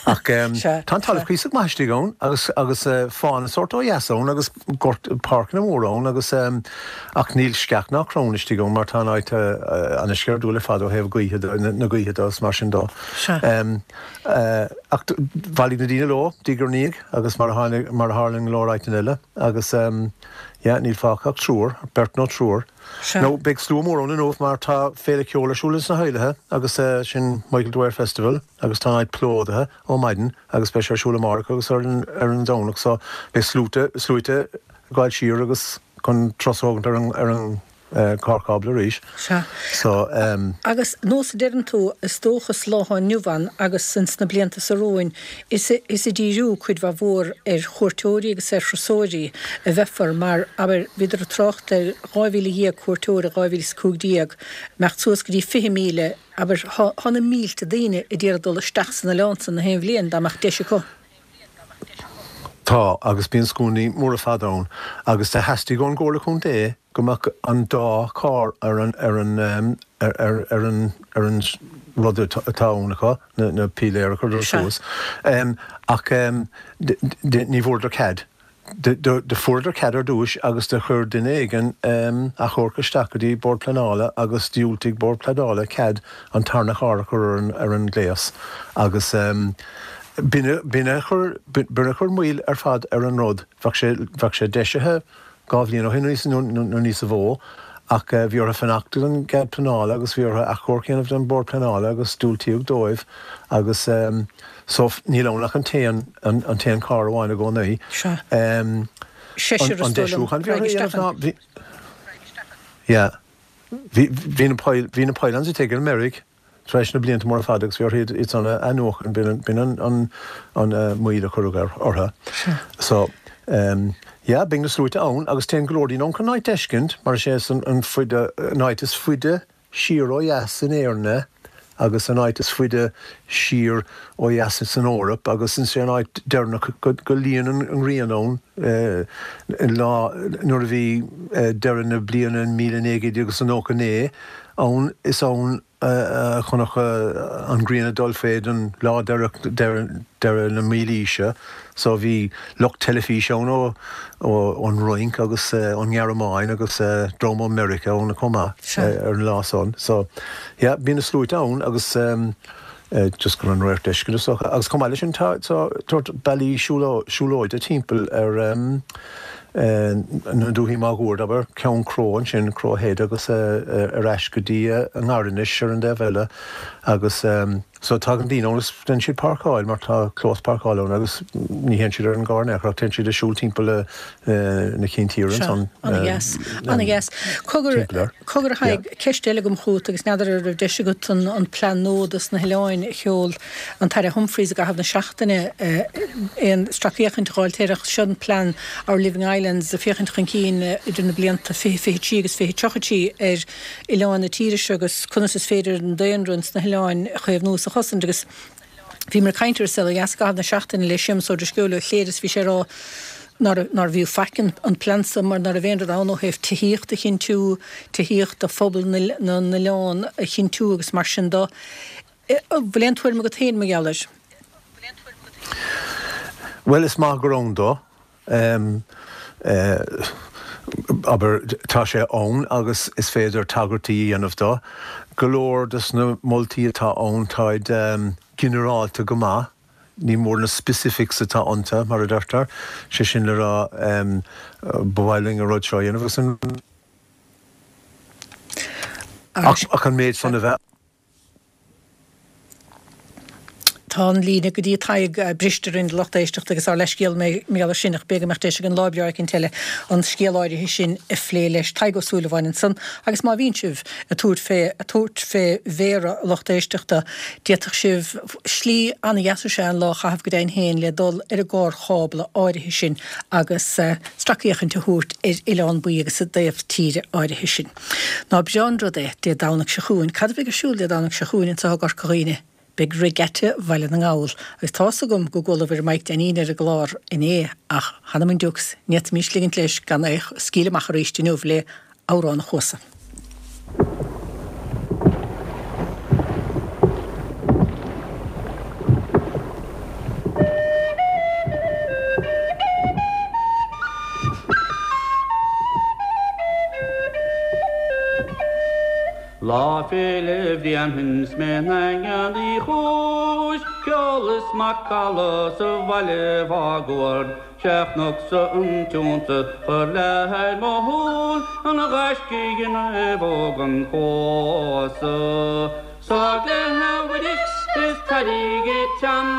Ach tá an talamh cuíosach maith istigh ann agus agus fána sórt ó dheas ann agus gort, páirceanna móra ann agus ach níl sceach ná crann istigh ann mar tá an áit ana-sceirdiúil ar fad ó thaobh gaoithe de, na gaoithe de agus mar sin de. Ach bhailigh na daoine leo diaidh ar ndiaidh agus mar a tháinig, mar a tharla i go leor áiteanna eile agus yeah níl fágtha ach triúr, beirt nó triúr. Nó beidh slua mór ann inniu mar tá féile ceoil ar siúl ins na hOilithe agus sin Michael Dwyer Festival. agus tá an áit plódaithe ó maidin agus beidh sé ar siúl amárach agus ar an ar an Domhnach so beidh sluaite sluaite ag gabháil siar agus chun turas a thógaint ar an ar an carr cábla arís. Sea. So ehm. Agus nós a deireann tú, is dócha sa lá atá inniu ann agus ins na blianta so romhainn, is is ag díriú cuid mhaith mhór ar chuairteoirí agus ar thurasóirí a bheifear mar, abair, bhíodar ag trácht ar 12,000 cuairteoir i 2015, imeacht suas go dtí 20,000 Abair, thá na mílte daoine a d'iarraidh dul isteach san oileán san na haon bhliain, dá mbeadh deis acu. Tá, agus bíonn scuainí móra fada ann, agus do theastaigh ón gComhairle Contae go mbeadh an dá charr ar an, ar an, ar, ar, ar an, ar an rud atá ann acu, na, na píléir a chuireadar suas. Ach ní bhfuaireadar cead. Do fuaireadar cead ar dtúis agus do chuir duine éigin achomharc isteach go dtí Bord Pleanála agus dhiúltaigh Bord Pleanála cead an tarna charr a chur ar an ngléas agus b'in a chuir b'in a chuir moill ar fad ar an rud. Bheadh sé bheadh sé deisithe dhá bhliain ó shin nó níosa mhó ach bhí orthu fanacht don gcead pleanála agus bhí orthu achomharc a dhéanamh don Bhord Pleanála agus diúltaíodh dóibh agus So, níl ann ach an t-aon, an t-aon carr amháin i gcónaí. Sea. Seisear is An dóigh liom, deisiúchán bhí raghaidh orthu a isteach dhéanamh ná, ann. bhí, yeah. Bhí, bhí na pile, bhí na pylons ag ag dul i meirg tar éis na blianta móra fada agus bhí orthu iad, iad san a athnuachan, b'in an, b'in an, an, an moill a cuireadh ar, orthu. Sea. So, yeah, beidh na sluaite ann agus téann go leor daoine ann chun an áit d'fheiscint mar is é san an faide, an áit is faide siar ó dheas in Éirinn é agus an áit is faide siar ó dheas san Eoraip agus is é an áit deireanach go luíonn an ghrian ann lá nuair a bhí deireadh na bliana 1999 ann is ann a chonac an ghrian ag dul fé don lá deireadh deireadh na mílaoise so bhí lucht teilifíse ann ó ón Fhrainc agus ón nGearmáin agus dream ó Meiriceá ann chomh maith ar an lá san. So yeah bíonn na sluaite ann agus just chun an radharc d'fheiscint is dócha. Agus chomh maith leis sin tá tá bealaí siúlóide timpeall ar na dúthaí máguaird, abair, Ceann Cró ansin, Crow Head agus ar ais go dtí an nGairinis ar an dtaobh eile agus So tagann daoine ann agus déanann siad páirceáil mar tá clós páirceála ann agus ní théann siad ar an gcarr in aon chor ach téann siad ag siúl timpeall na cinn tíre Sea, ansan ana-dheas, ana-dheas. Cogar, timpeall air. cogar a Yeah. Thaidhg, ceist eile agam chugat agus n'fheadar an raibh deis agat an, an plean nua dos na hoileáin a sheol an tAire Humphreys i gcaitheamh na seachtaine, aon stracfhéachaint a dh'fháilt air ach seo an plean Our Living Islands ag féachaint chun cinn idir na blianta 2023 agus 2033 ar oileáin na tíre seo agus conas is féidir an daonra ins na hoileáin a chaomhnú is a chosaint agus bhíomar ag caint ar An Saol Ó Dheas i gcaitheamh na seachtaine le Séamus Ó Drisceoil ó Chléire is bhí sé ag rá nárbh fhiú faic an plean so mar ná raibh aon rud ann ó thaobh tithíocht a chinntiú, tithíocht do phobal na n-oileán a chinntiú agus mar sin do. Bhfuil aon tuairim agat féin mar gheall air? Bhuel is maith gur ann dó. Abair, tá sé ann agus is féidir tagairtí a dhéanamh dó. Go leor des na moltaí atá ann, táid ginearálta go maith. Ní mór na specifics atá iontu, mar a deirtear. Sé sin le rá, ba mhaith linn an rud seo a dhéanamh agus an, ach an méid san a bheith. Tá an líne go dtí Tadhg briste orainn a lucht éisteachta agus ár leithscéal mar gheall air sin ach b'fhéidir go mbeadh deis againn lá breá eicínt eile an scéal áirithe sin a phlé leis. Tadhg Ó Súilleabháin ansan agus má bhíonn sibh ag tabhairt fé ag tabhairt fé Bhéarra a lucht éisteachta d'fhéadfadh sibh slí an-dheas is ea an lá a chaitheamh go deimhin féin le dul ar an gcarrchábla áirithe sin agus stracfhéachaint a thabhairt ar Oileán Baoi agus an taobh tíre áirithe sin. Ná breá an rud é Dé Domhnaigh seo chugainn. Cad a bheidh ar siúl Dé Domhnaigh seo chugainn anseo i gCorca Dhuibhne? Beidh Regatta Bhaile na nGall, agus tá's agam go gcualabhair Mike Dainín ar an gclár inné, ach th'anam 'on diucs, ní fhéadfaimís ligint leis gan é a scaoileadh amach arís inniu le Amhrán an Chuasa. Lá Féile Bhréanainn 's mé i nDaingean Uí Chúis, ceol is macalla sa bhaile mháguaird, 'Sé chonac-sa an t-iontas chuir leath ar mo shúil, an ghaisce i naomhóg an chuasa. Sá léi a Mhuiris is tairig a teann,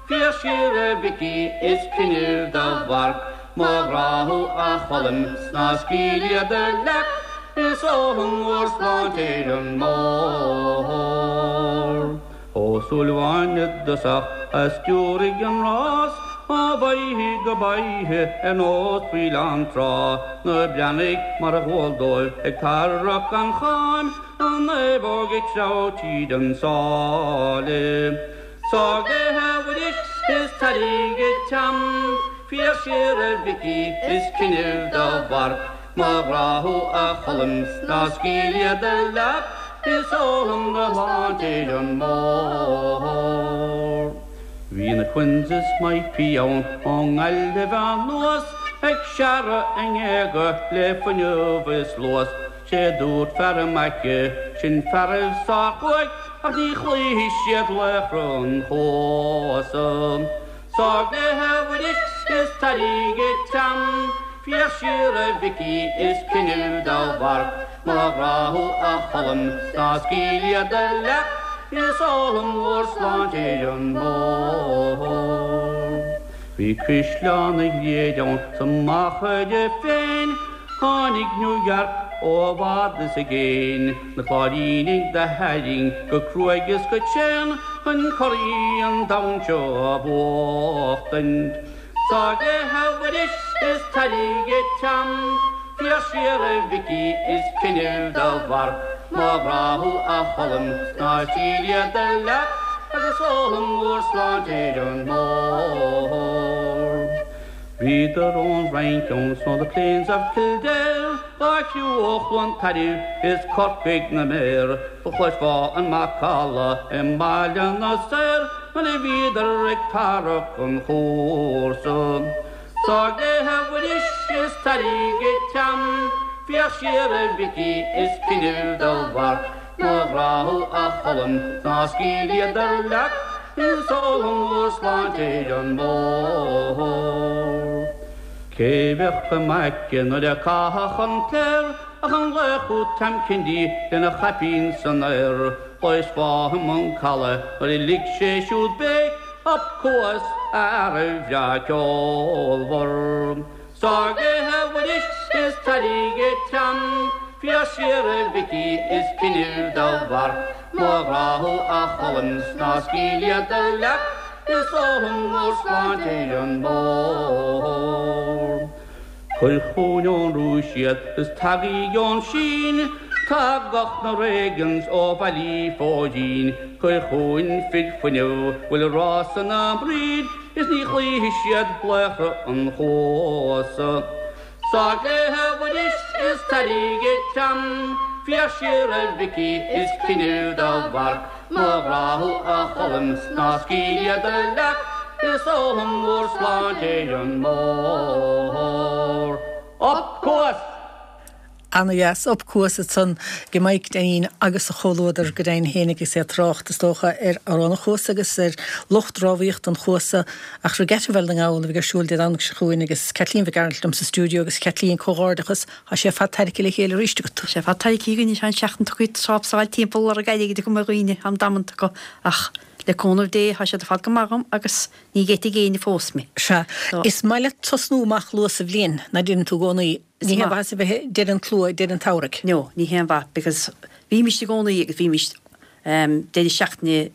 Féach siar a Mhicí is cuimhnimh do mharc, Mo ghrá thú a Choilm 's ná scaoil iad a leac, Is ólaim bhur sláinte ar an mbóthar. Ó Súilleabháin i dtosach a stiúraigh an rás, Ó bhoiche go boiche ar nós faoileán trá, Na Breathnaigh mar ba dhual dóibh ag tarrac an chaim, An naomhóg ag treabhadh tríd an sáile. Sá léi a Mhuiris is tairig a teann, Féach siar a Mhicí is cuimhnimh do mharc, Mo ghrá thú a Choilm 's ná scaoil iad a leac, Is ólaim do shláinte ar an mbóthar. Bhí na Quinns is Mike ann ón nGaillimh anuas, Ag searradh a ngéaga le fuinneamh is luas, 'Sé dúirt fear a mbaice, sin fearaibh sárchumhaidh, Ach ní chloífidh siad laochra an chuasa. Sá léi a Mhuiris is tairig a teann, Féach siar a Mhicí is cuimhnimh do mharc, Mo ghrá thú a Choilm 's ná scaoil iad a leac, Is ólaim bhur sláinte ar an mbóthar. Bhí Caisleán an Ghriaid ann sa Machaire féin, Tháinig New York ó i bhfad is i gcéin, Na Cláirínigh do tharraing go cruaidh is go tréan Chun curaí an domhain seo a bhuachtaint. Sá léi a Mhuiris is tairig a teann, Féach siar a Mhicí is cuimhnimh do mharc, Mo ghrá thú a Choilm 's ná scaoil iad a leac, Agus ólaim bhur sláinte ar an mbóthar. Bhíodar ón Fhrainc ann 's ó the plains of Kildare, Dá chriú ó Chluain Tairbh is Corcaigh na méar, Do chloisfeá an macalla i mBaile na Saor Nuair a bhíodar ag tarrac an chúrsa. Sá léi a Mhuiris is tairig a teann, Féach siar a Mhicí is cuimhnimh do mharc, Mo ghrá thú a Choilm 's ná scaoil iad a leac, Is ólaim bhur sláinte ar an mbóthar. Cé bheadh i m'aice nuair a caitheadh an cléir Ach an laoch úd Tom Kennedy lena chaipín san aer, Chloisfeá i mbun calaidh nuair a lig sé siúd béic, Up Cuas a fhearaibh bhreá ceolmhar. Sá léi a Mhuiris is tairig a teann, Féach siar a Mhicí is cuimhnimh do mharc, Mo ghrá thú a Choilm 's ná scaoil iad a leac, Is ólaim bhur sláinte ar an mbóthar. Cuir chugainn ón Rúis iad is tagaidh ón Sín, Tagadh na Reagans ó Bhaile Phóidín, Cuir chugainn fir fuinnimh 'bhfuil rás ina mbroid, Is ní chloífidh siad laochra an chuasa. Sá léi a Mhuiris is tairig a teann, Féach siar a Mhicí is cuimhnimh do mharc, Mo ghrá thú a Choilm 's ná scaoil iad a leac, Is ólaim bhur sláinte ar an mbóthar. Up Cuas! Ana-dheas. Up Cuas ansan ag Mike Dainín agus a chomhluadar go deimhin féin agus é ag trácht, is dócha, ar Amhrán an Chuasa agus ar lucht rámhaíochta an Chuasa. Ach Regatta Bhaile na nGall a bheidh ar siúl Dé Domhnaigh seo chugainn agus Caitlín Mhic Gearailt liom sa stiúideo agus Caitlín, comhghairdeachas, tá sé ar fad tarraicthe le chéile arís agat. Tá sé ar fad tarraicthe againn, tá an seachtain tugtha ag trápsáil timpeall lorg airgid acu mar dhaoine, am damanta acu ach. Le cúnamh Dé tá siad ar fad go maith dhom agus ní gheitfidh éinne fós mé. Sea. Is maith leat tosnú amach luath sa bhliain, ná deireann tú i gcónaí. Ní haon mhaitheas a bheith ag deireadh an tslua ag deireadh an tsamhraidh. No, ní haon mhaith because bhímist i gcónaí agus bhímist ehm deireadh seachtaine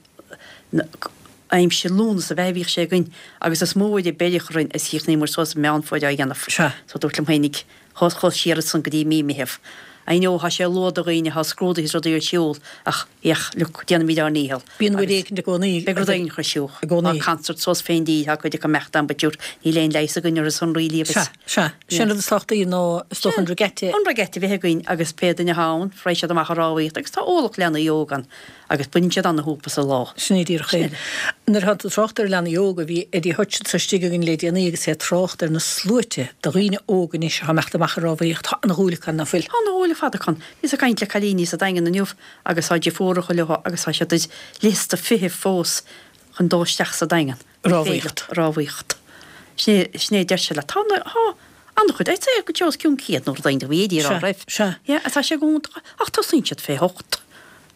aimsir Lúnasa ab ea a bhíodh sé againn agus is mó uair a beireadh orainn is chríochnaíomar suas i Meán Fómhair á dhéanamh. Sea. So dúrt liom féinig chuas chuas siar ansan go dtí mí Meitheamh. I know tá sé luath do dhaoine, tá scrúduithe is rudaí ar siúl ach ach look déanaimid ár ndícheall. Bíonn rud éicint i gcónaí. Beidh rud éigin ar siúl. I gcónaí. Tá concert suas fén dtír, tá cuid acu imeacht ann but sure níl aon leigheas againn orthu san really agus. Sea, sea. Sin rud is tábhachtaí ná is dócha an regatta. An regatta a bheith againn agus pé duine atá ann, raghaidh siad amach ag rámhaíocht agus tá ualach leanaí óg ann. Agus baineann siad ana-shúp as an lá. Sin é díreach é. Nuair atá tú ag trácht ar leanaí óga, bhí Eddie Hutch anseo istigh againn le déanaí agus é ag trácht ar na sluaite de dhaoine óga anois atá ag imeacht amach ag rámhaíocht. Tá ana-dhúil acu ann, ná fuil? Tá ana-dhúil ar fad acu ann. Bhíos ag caint le cailíní sa Daingean inniu agus tá deirfiúracha leo agus tá siad ar liosta feithimh fós chun dul isteach sa Daingean. Rámhaíocht. Rámhaíocht. Sin é, sin é a deir sé leat. Tá na, tá an-chuid, I'd say go dtí os cionn 100 nó rud éigin, bhí Eddie ag rá roimh. Sea, sea. Yeah, tá sé go hiontach ach tosaíonn siad fé hocht.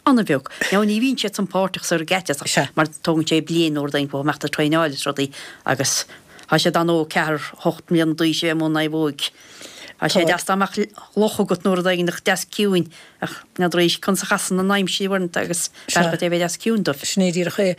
An-bheag. Now ní bhíonn siad san páirteach sa regatta Sea. mar tógann sé bliain nó rud éigin go mbeadh tú ag traenáil is rudaí agus tá siad an-óg, ceathair, hocht mbliana d'aois a bheith i mbun naomhóig. Tá sé deas dá mbeadh loch agat nó rud éigin deas ciúin ach n'fheadar arís conas a chasann an aimsir uaireanta agus b'fhearr dhuit é a bheith deas ciúin dóibh. Sin é díreach é.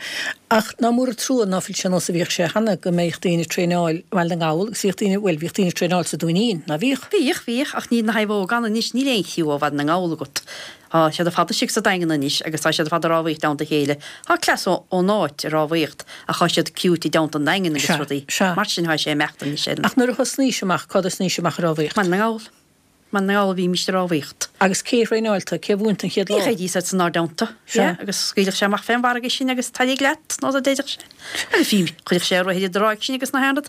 Ach ná mór an trua ná fuil sé ar nós a bhíodh sé cheana, go mbeadh daoine ag traenáil i mBaile na nGall agus bhíodh daoine, bhuel, bhíodh daoine ag traenáil sa Dúinín, ná bhíodh? Bhíodh, bhíodh, ach níl na naomhóga ann anois, níl aon chriú ó Bhaile na nGall agat. Tá siad ar fad istigh sa Daingean anois agus tá siad ar fad ag rámhaíocht i dteannta a chéile. Tá cleas ón áit ag rámhaíocht ach tá siad criúite i dteannta an Daingin agus Sea, rudaí sea. mar sin. Tá sé ag imeacht anois ar an. Ach nuair a thosnaís amach, cá dtosnaís amach ag rámhaíocht? Baile na nGall. Baile na nGall a bhímíst ag rámhaíocht. Agus cé a thraenáil tú? Cé a mhúin tú an chéad lá? Bhíodh Eddie san inár dteannta. Sea. Yeah, agus scaoileadh sé amach fén bhfarraige sinn agus tar éag leat, nó a deireadh sé. Agus bhí, chuireadh sé a rothar i dtráigh sinn agus na haon rud.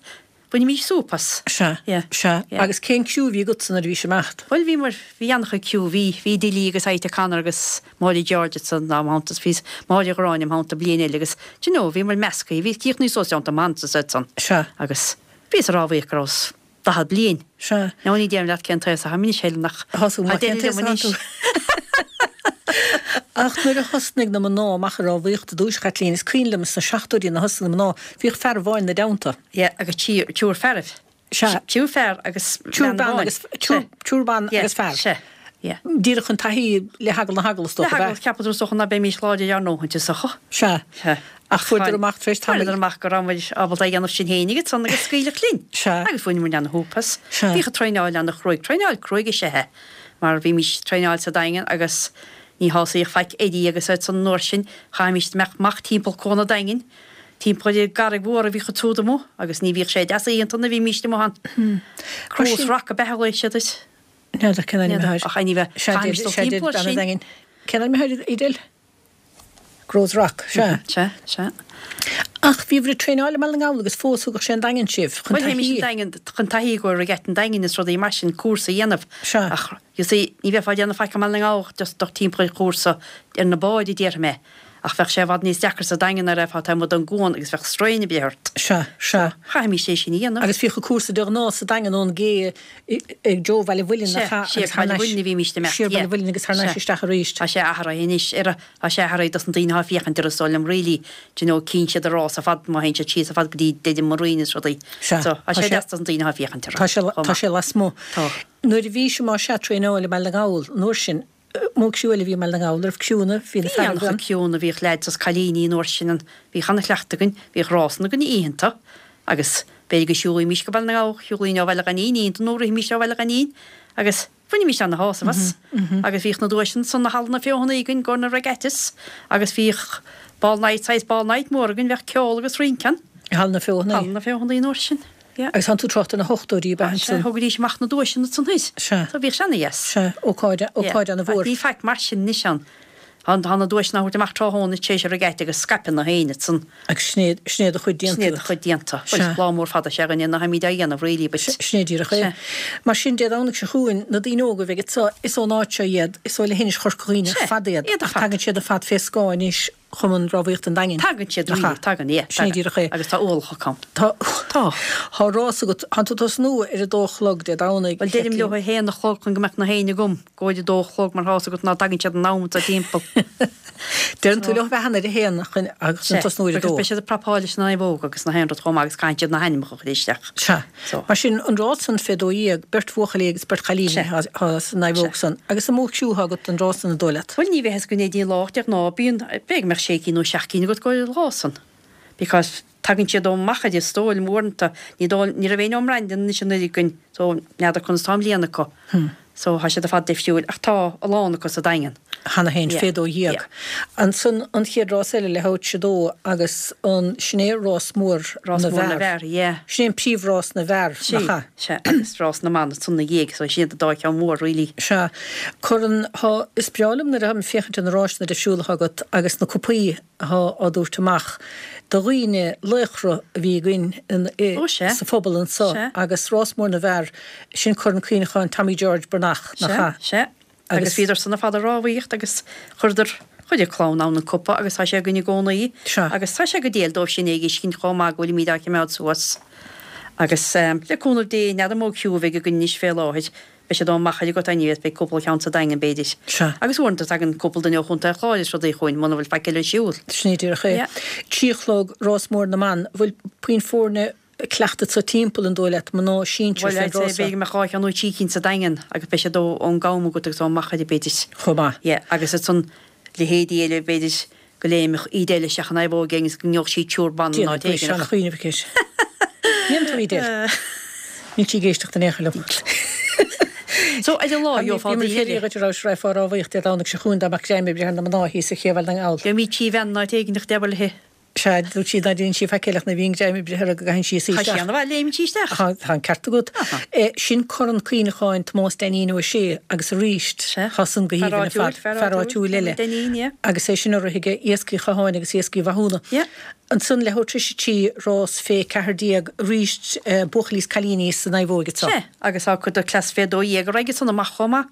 Bhainimís súp as. Sea, Yeah. sea. Yeah. Agus cén criú a bhí agatsa nuair a bhís ag imeacht? Bhuel, bhíomar, bhí an-chuid criú, bhí, bhí Dilly agus Ita Connor agus Máire George ansan im theannta is bhí Máire Ghráinne im theannta bliain eile agus, do you know, bhíomar measctha, bhí críochnaithe suas i dteannta Mans is iad san. Sea. Agus bhíos ag rámhaíocht go rabhas 40 bliain. Sea. Now ní déarfainn leat cén t-aos atáim anois, Helen, ach Tá tú tá maith cén deireadh t-aos liom atá anois. tú. Ach nuair a thosnaigh na mná amach ag rámhaíocht i dtús, a Chaitlín, is cuimhin liom sna seachtóidí nuair a thosnaigh na mná, bhíodh fear amháin 'na dteannta. Yeah, agus triúr fearaibh. Sea. Triúr fear agus Triúr bean ban amháin. agus, triúr, triúr ban Yeah, agus fear. sea, yeah. Díreach chun taithí le heagal na heagla is Le dócha, ab heagal, ea? cheapadar is dócha ná beimis láidir ár ndóthain is dócha. Sea. Sea. Ach fuaireadar amach tar éis tamaill. Fuaireadar amach go rabhamar ábalta é a dhéanamh sinn féinig ansan agus scaoileadh linn. Sea. Agus bhain muid ana-shúp as. Sea. Bhíodh an traenáil ana-chruaidh. Traenáil cruaidh is ea é. Mar bhímis traenáil sa Daingean agus ní shásaíodh faic Eddie agus iad san an uair sin. Chaithfimis imeacht amach timpeall Cuan an Daingin. Timpeall ar an gCarraig Mhór a bhíodh an tsúd amuigh agus ní bhíodh sé deas oícheanta nuair a bhímíst amuigh ann. Crow's Rock ab ea a ghlaoigh siad air. N'fheadar cén ainm atá air. Ach anyway, chaithfimis dul timpeall air sin. Cén ainm atá air, Edel? Crow's Rock, sea. Sea, sea. Ach bhíobhair ag traenáil i mBaile na nGall agus fós thugadh sé an Daingean sibh chun Bhuel, théimis taithí. an Daingean chun taithí go regatta an Daingin is rudaí mar sin, cúrsa a dhéanamh. Sea. Ach, you see, ní bheifeá ag déanamh faic i mBaile na nGall just dul timpeall ar chúrsa ar na báid, a déarfaidh mé. Ach bheadh sé i bhfad níos deacra sa Daingean nuair a bheifeá taobh amuigh den gcuan agus bheadh strain ag breith ort. Sea, sea. Chaithfimis é sin a dhéanamh. Agus bhíodh an cúrsa de ghnáth sa Daingean ón gcé ag Joe Bhaile Mhuilinn Sea, nach ea siar agus thar Baile n-ais, Mhuilinn a bhímíst ag imeacht, siar yeah. Baile Mhuilinn agus thar n-ais Sea. isteach arís. Tá sé athraithe anois, ar, tá sé athraithe dos na daoine atá ag féachaint air is dóigh liom really, do you know, cíonn siad an rás ar fad má théann siad síos ar fad go dtí Deireadh Marine is rudaí. Sea, So, tá tá sé sé, deas dos na daoine atá ag féachaint air tá sé, chomh tá maith. sé lasmuigh. Tá. Nuair a bhís más ea ag traenáil i mBaile na nGall an uair sin, Mó criú eile a bhí i mBaile na nGall, raibh criúnna, bhí na Bhí fearaibh an-chuid ann. criúnna, bhíodh leaids is cailíní an uair sin ann, bhíodh ana-chleachtadh againn, bhíodh rásanna againn oícheanta agus b'fhéidir go siúlaímís go Baile na nGall, shiúlaínn ó Bhaile Ghainín oícheanta nó rithimís ó Bhaile Ghainín agus bhainimís ana-shásamh as agus bhíodh na duaiseanna san i Halla na Feothanaí againn i gcomhair na regattas agus bhíodh ball night, saghas ball night mór againn, bheadh ceol agus rince ann. I Halla na Feothanaí. Halla na Feothanaí an uair sin. Yeah. Agus tánn tú ag trácht ar na hochtóidí ab ea Sea, ansan? thugaidís amach na duaiseanna ansan thoir. Sea. So bhíodh sé ana-dheas. Sea, ócáid, ócáid ana-mhór. Ní faic mar sin anois ann. Tá, tá na duaiseanna á thabhairt amach tráthnóna tar éis an regatta agus scaipeann na héinne ansan. Agus sin é, sin é do chuid déanta Sin é do agat. chuid déanta. Bhuel, Sea. lá mór fada is ea againne ná táimíd á dhéanamh really but. Sin é díreach é. Sea. Mar sin, Dé Domhnaigh seo chugainn, na daoine óga a bheidh anso, is ón áit seo iad, is ó leithinis Chorca Dhuibhne ar Sea, fad iad, iad ar ach fad. tagann siad ar fad fé scáth anois. Chumann Rámhaíochta an Daingin. Tagann siad, Nach ea? tagann, yeah, Sin é tagann. díreach é. Agus tá ualach acu. Tá. Tá. Tá rás agat. Tánn tú ag tosnú ar a dó a chlog Dé Domhnaigh. Bhuel, deirim leo a haon a chlog chun go mbeadh na héinne agam, go bhfuil a dó a chlog mar tá's agat ná tagann siad in am sa timpeall. Deireann tú leo a bheith ann ar a haon chun agus an tosnú ar a Because dó. beidh siad ag prapáil leis an naomhóg agus na haon rud chomh maith agus caithfidh siad na hainmneacha a chur isteach. Sea. So. Mar sin, an rás san fé 12, beirt bhuachaillí agus beirt chailíní Sea. atá san naomhóg Sea. san. Agus an mó criú atá agat don rás san an dóigh leat? Bhuel, ní bheidh fhios againn é dtí an lá ach de ghnáth bíonn, b'fhéidir go mbeadh sé cinn nó seacht gcinn agat go dtí an lá san. Because tagann siad ó Mhachaire is dóigh liom uaireanta, ní dóigh, ní raibh éinne ón mBrandon anois anuraidh againn so n'fheadar conas atá i mbliana acu. So tá siad ar fad difriúil ach tá a lán acu sa Daingean. Cheana féin, Yeah. fé 12. Yeah. Ansan an chéad rás eile leathuair tar éis a dó agus an, sin é rás mór Rás na mór na bhfear. bhfear, yeah. Sin é an príomhrás na bhfear, Sea, nach ea? sea, agus rás na mban ansan ina dhiaidh, so sin iad an dá cheann mhór really. Sea. Cuireann, thá, is breá liom nuair atáim ag féachaint ar na ráiseanna difriúla atá agat agus na cupaí atá á dtabhairt amach do dhaoine, laochra a bhí againn i, Ó sea. sa phobal anso Sea. agus rás mór na bhfear, sin Corn Cuimhneacháin Tommy George Breathnach, nach Sea, ea? sea. Agus Agus. bhíodar san ar fad ag rámhaíocht agus chuireadar, chuir a clann ann an cupa agus tá sé againn i gcónaí. Sea. Agus tá sé go diail dóibh sin é a fheiscint chomh maith go bhfuilimíd á chimeád suas. Agus le cúnamh Dé, n'fheadar an mó criú a bheidh againn anois fé láthair. Beidh siad ó Mhachaire agat anyways, beidh cúpla ceann sa Daingean b'fhéidir. Sea. Agus uaireanta tagann cúpla duine ó Chontae an Chláir is rudaí chugainn muna bhfuil faic eile ar siúl. Sin é díreach é. Yeah. Trí a chlog, rás mór na mban. Bhfuil puinn foirne cleachta sa timpeall an dóigh leat, mná sinsir Bhuel, fén I'd say rás seo? b'fhéidir go mbeadh dhá cheann nó trí cinn sa Daingean agus beidh siad ó ón gCam agat agus ó Mhachaire b'fhéidir. Chomh maith. Yeah, agus ansan leithéidí eile b'fhéidir go léimfeadh Edel isteach in naomhóg éigin is go ngeobhadh sí triúr ban in áit Déanfaidh éigin ach. seana-chuimhneamh aici. Níl tú Edel. Níl sí ag éisteacht in aon chor liom. So ar an lá gheofá Bhí mé daoine féin eile. dhuit a raibh sraith fá rámhaíocht Dé Domhnaigh seo chugainn dá mbeadh greim oibre ar na mná thíos ar Ché Bhaile na nGall. Gheobhaimid trí bhean in áit éigin ach deabhal léi. Sea, dúirt sí ná déanann sí faic eile ach nuair a bhíonn greim oibre uirthi go gcaitheann sí a suí Tá sí isteach. ana-mhaith, léimeann sí isteach. Tá, tá an ceart agat. Sin Corn Cuimhneacháin Tomás Dainín Ó Sé agus arís, Sea. tá san go Fear haoibhinn ar áitiúil, fad. fear Fear áitiúil, áitiúil eile. Dainín, yeah. Agus é sin á rith aige Iascaigh Chatháin agus Iascaigh Mhathúna. Yeah. Ansan leathuair tar éis a trí, rás fé 14, arís buachaillí is cailíní sa naomhóig anseo. Sea, agus tá cuid de cleas fé 12 ag raghaidh san amach chomh maith.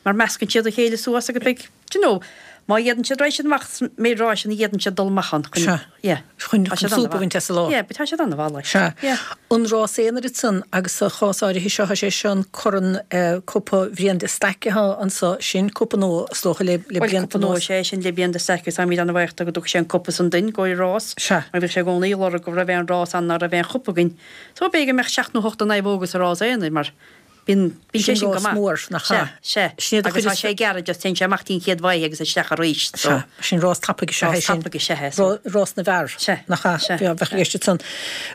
Mar meascann siad a chéile suas agus beidh, do you know, má fhéadann siad, raghaidh siad amach sa méid ráiseanna a fhéadann siad dul amach ann chun, Sea. yeah. Chun, Tá chun siad súp a an-mhaith. bhaint as an lá. Yeah, but tá siad an-mhaith like. Sea. Yeah. An rás aonair ansan agus sa chás áirithe seo, tá sé seo an corn eh, Cupa Bhriain de Staic atá anso, sin cupa nua is dócha le, le Bhuel, blianta cupa nua anuas. is ea é sin le Brian de Staic agus táimid an-bhuíoch de go dtug sé an cupa san duinn i gcomhair rás. Sea. Mar bhíodh sé i gcónaí ag lorg go raibh aon rás ann ná raibh aon chupa againn. So b'fhéidir go mbeadh seacht nó hocht de naomhóga sa rás aonair mar Bíonn, bíonn sé Sin sin go rás maith. mór, nach ea? Sea, sea. Sin iad a Agus chuid tá is. sé gearr, just téann sé amach dtí an chéad bhaile agus isteach arís, so. Sea, sin rás tapaidh is ea é Rás sin. tapaidh is ea é, so. Rás na bhfear, Sea, nach ea? sea, Bheadh i sea. gceist ansan.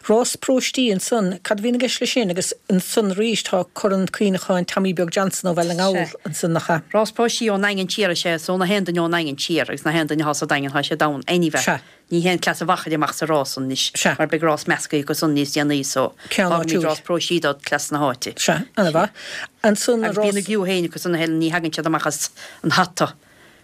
Rás paróistí ansan, cad a bhíonn i gceist leis sin? Agus ansan arís tá Corn Cuimhneacháin Tommy Beag Johnson ó Bhaile na nGall Sea. ansan, nach ea? Rás paróistí ón nDaingean siar is ea, so na haon duine ón nDaingean siar agus na haon duine atá sa Daingean tá siad ann anyway. Sea. Ní théann cleas an Mhachaire amach sa rás san anois Sea. mar beidh rás measctha acu san níos déanaí so Ceann fágfaimid áitiúil. rás paróistí do cleas na háite. Sea, ana-mhaith. Ansan Agus rás. bíonn a gcriú féin acu san a Helen, ní thagann siad amach as an hata.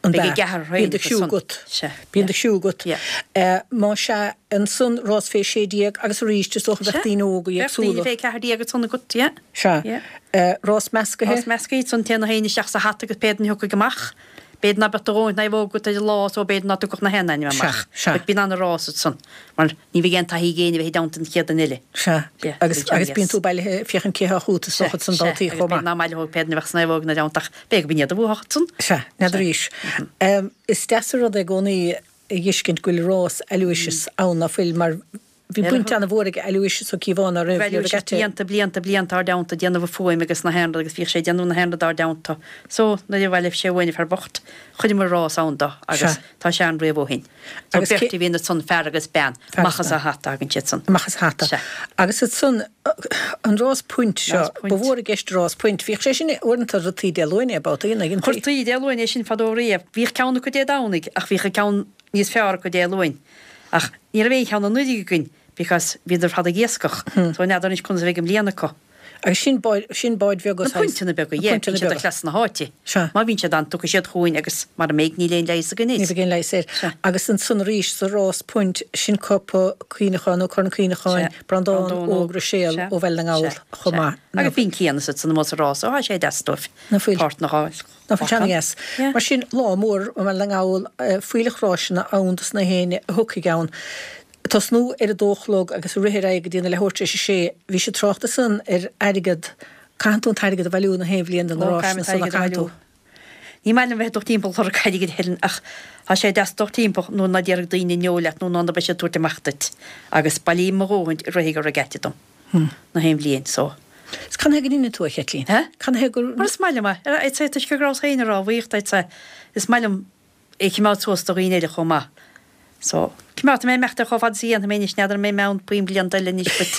An Beidh a bea. gceathrar Bíonn féin do acu chriú san. agat. Sea. Bíonn do chriú agat. Yeah. Má sea, ansan rás fé 16 agus arís is dócha bheadh Sea. daoine óga Bheadh daoine éagsúla. fé 14 ansan agat, yeah. Sea. Yeah. Rás meascaithe. Rás meascaithe, ansan téann na héinne isteach sa hata agus pé duine a thiocfaidh amach. B'fhéidir ná beadh do dhóthain naomhóg agat ar an lá so b'fhéidir ná dtiocfadh na haon ainm amach. Sea, sea. But bíonn ana-rás ansan mar ní bheidh aon taithí ag éinne a bheith i dteannta an chéad duine eile. Sea. Yeah, Agus, bíonn agus bíonn yes. tú bailithe ag féachaint cé thá chút is Sea, dócha san sea, daltaí agus chomh b'fhéidir maith. ná mbaileodh pé duine a bheadh sna naomhóga ina dteannta ach b'fhéidir go b'in iad a bhuafadh ansan. Sea, n'fheadar arís. Is deas an rud é i gcónaí a dh'fheiscint go bhfuil rás Aloysius ann ná fuil mar Bhí baint ana-mhór ag Aloysius Ó Cíobháin ná raibh Bhuel, Regatta. blianta, blianta, blianta ár dteannta ag déanamh a fuaim agus na haon rud agus bhíodh sé ag déanamh na haon rud ár dteannta. So, nuair a bhailigh sé uainn an fear bocht, chuireamar rás ann do agus Sea. tá sé ann riamh ó shin. So, Agus beirt cé. a bhíonn ansan, fear agus bean, Fear amach agus as an bean. hata a thagann siad san. Amach as an hata. Sea. Agus ansan, an rás puint seo, Rás ba puint. mhór i gceist rás puint. Bhíodh sé sin uaireanta rtaí Dé Luain é, babhtaí, an dtuigeann tú? Chuirtí Dé Luain é sin fadó riamh. Bhíodh ceann acu Dé Domhnaigh ach bhíodh an ceann níos fearr acu Dé Luain. Ach ní raibh aon cheann anuraidh againn because bhíodar ar fad ag iascach so n'fheadar anois conas a bheidh i mbliana acu. Agus sin báid, sin báid bheaga Na puinteanna beaga, yeah, bíonn siad do chleas na háite. Sea. Má bhíonn siad ann, tiocfaidh siad chugainn agus mara mbeidh, níl aon leigheas againn air. Ní bheidh aon leigheas air. Sea. Agus ansan arís sa rás puint, sin cupa cuimhneacháin nó Corn Cuimhneacháin Sea. Breandán Breandán Óg Óg. Ruiséal Sea. ó Bhaile na nGall Sea. chomh Sea. maith. Agus bíonn Cian is ansan amuigh sa rás, ó, tá sé deas dóibh. Ná fuil. Páirt a fháil. Ná fuil sé ana-dheas. Yeah. Mar sin, lá mór i mBaile na nGall, fuílleach ráiseanna ann dos na héinne a thiocfaidh ann. Tosnú ar a dó a chlog agus rith ar aghaidh go dtí na leathuair tar éis a sé. Bhí siad trácht ansan ar airgead, caitheann tú an t-airgead a bhailiú na haon bhliain do na Ó, ráiseanna caithfimid san, airgead a caitheann tú. bhailiú. Ní maith liom bheith ag dul timpeall ag lorg airgid a Helen ach tá sé deas dul timpeall nuair ná déarfaidh daoine no leat nó ná beidh siad ag tabhairt amach duit agus bailím mo dhóthain i rith an regatta dom na haon bhliain so. Is cad chuige go ndeineann tú é, a Chaitlín? Huh? Cad chuige gur. Mar is maith liom é. I'd say toisc go rabhas féin ag rámhaíocht I'd say is maith liom é a choimeád suas do dhaoine eile chomh maith. So, coimeádfaidh mé ag imeacht é chomh fada is a dhéanfaidh mé anois, n'fheadar an mbeidh mé ann puinn blianta eile anois but.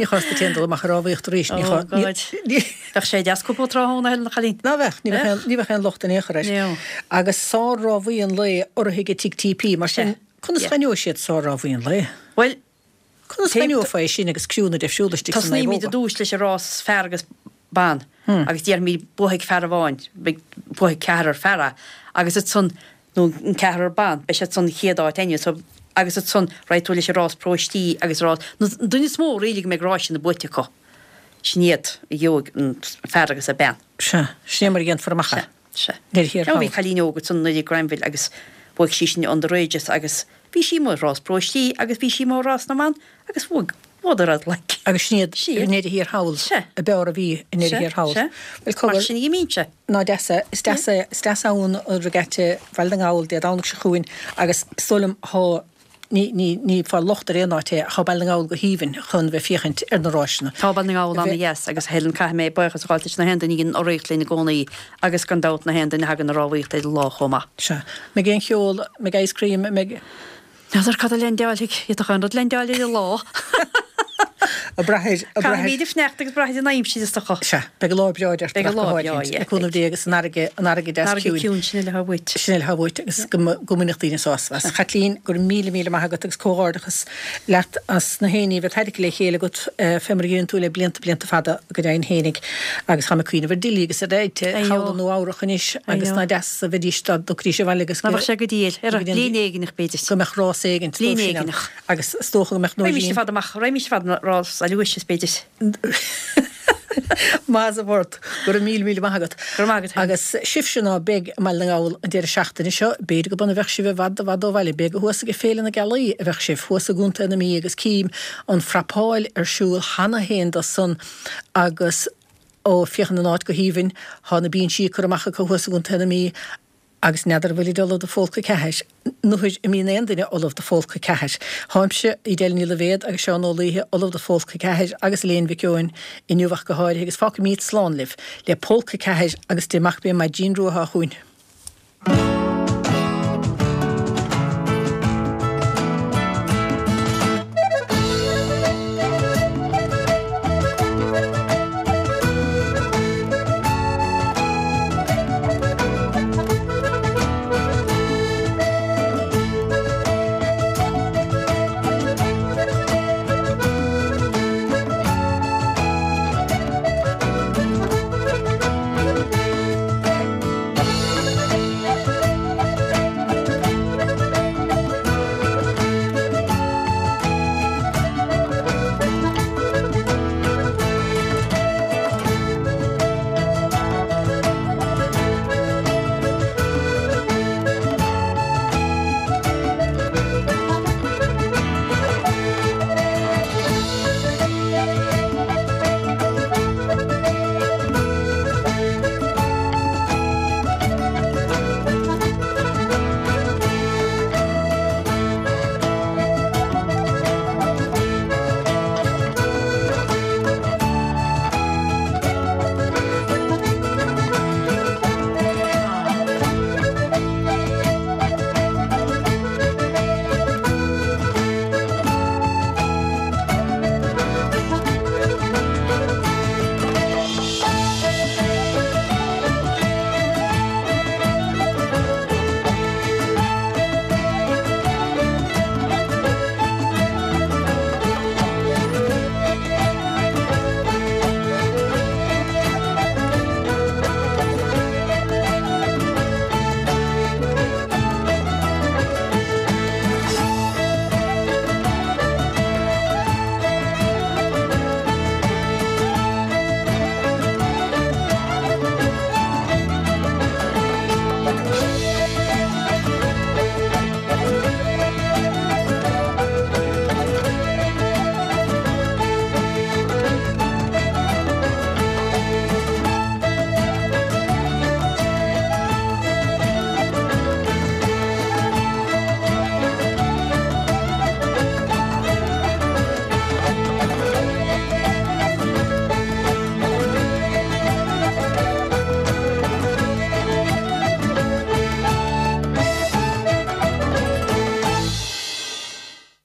Ní chás duit féin dul amach ag rámhaíocht arís, ní Oh God. Bheadh sé deas cúpla tráthnóna a Helen a chailín. Ná bheadh, ní bheadh aon, ní bheadh aon locht in aon chor air. No. Agus sár-rámhaí an lae urraithe ag Tigh TP, mar sin, conas Yeah. a aithneoidh siad sár-rámhaí an lae? Bhuel, Conas a aithneofá é sin agus criúnna difriúla istigh sa Tosnaímid naomhóga? i dtús leis an rás fear agus ban agus déarfaimid buafaidh fear amháin, beidh buafaidh ceathrar fear é agus ansan nó an ceathrar ban, beidh siad san chéad áit anyway so agus ansan raghaidh tú leis an rás paróistí agus rás na duine is mó really go mbeidh ráiseanna buaite acu. Sin iad a gheobhaidh an fear agus an bean. Sea, sin é mar a dhéanfar amach é. Sea. Sea. Ar thiar Bhí thall. cailín óg ansan i Granville agus bhuaigh sí sin underages agus bhí sí amuigh i rás paróistí agus bhí sí amuigh i rás na mban agus bhuaigh, bhuadar iad like. Agus sin iad Sin i iad. ndeireadh thiar thall, Sea. a b'fhearr a bhí i ndeireadh Sea, thiar thall. sea. Bhuel, cogar. Mar sin a dh'imíonn sé. Ná deas é, is deas é, is deas ann an regatta Bhaile na nGall Dé Domhnaigh seo chugainn agus is dóigh liom thá Ní, ní, ní fáil locht ar aon áit é, thá Baile na nGall go haoibhinn chun bheith féachaint ar na ráiseanna. Tá Baile na nGall A bheith. ana-dheas agus a Helen caithfidh mé buíochas a ghabháilt leis na haon duine a dhein urraíocht linn i gcónaí agus gan dabht na haon duine a thagann ag rámhaíocht ar an lá chomh maith. Sea. Mbeidh aon cheol, mbeidh ice cream, mbeidh. N'fheadar cad a leaindeáilfidh, d'fhéadfadh aon rud leaindeáil ar an lá. Ag brath ar, ag brath ar. Caithfimid ag fanacht agus brath ar an aimsir is dócha. Sea, beidh lá breá deirtear Beidh ach go lá breá, háirithe, yeah, le cúnamh beidh. Dé agus an fharraige, an fharraige deas An fharraige ciúin. ciúin, sin uile atá uait. Sin uile atá uait agus go go mbainfeadh daoine sásamh as. A Chaitlín, go raibh míle míle maith agat agus comhghairdeachas leat as na héinní a bheith tarraicthe le chéile agat fé mar a dheineann tú le blianta blianta fada go deimhin fhéinig agus táim ag cuimhneamh ar Dilly agus ar Eite thall i Nua Eabhrach anois agus ná deas a bheidís dá dtiocfaidís abhaile agus Ná go bheadh sé go diail, ar bliain éigineach b'fhéidir. go mbeadh rás éigint Bliain dóibh sin ann. éigineach. Agus is dócha go mbeadh Raghaimís Nóirín. ar fad amach, raghaimís ar fad an rás Aloysius b'fhéidir. Maith as a bhord. Go raibh míle míle maith agat. Go raibh maith agat féin. Agus sibhse ná beidh i mBaile na nGall an deireadh seachtaine seo, b'fhéidir go b'ionann a bheadh sibh i bhfad i bhfad ó bhaile, b'fhéidir gur thuas ag Féile na Gealaí a bheadh sibh, thuas i gContae na Mí agus cím an phrapáil ar siúl cheana féin do san agus ó féachann an áit go haoibhinn, thá na binsí curtha amach acu thuas i gContae na Mí Agus n'fheadar an bhfuilid ullamh do Phólca 4, nuair a mbíonn aon duine ullamh do Phólca 4. Tháimse, Edel Ní Loibhéad agus Seán Ó Laoithe ullamh do Phólca 4 agus Elaine Mhic Eoin inniu ach go háirithe agus fágfaimíd slán libh le Pólca 4 agus Dé Mac Bé Maidín Rua atá chugainn.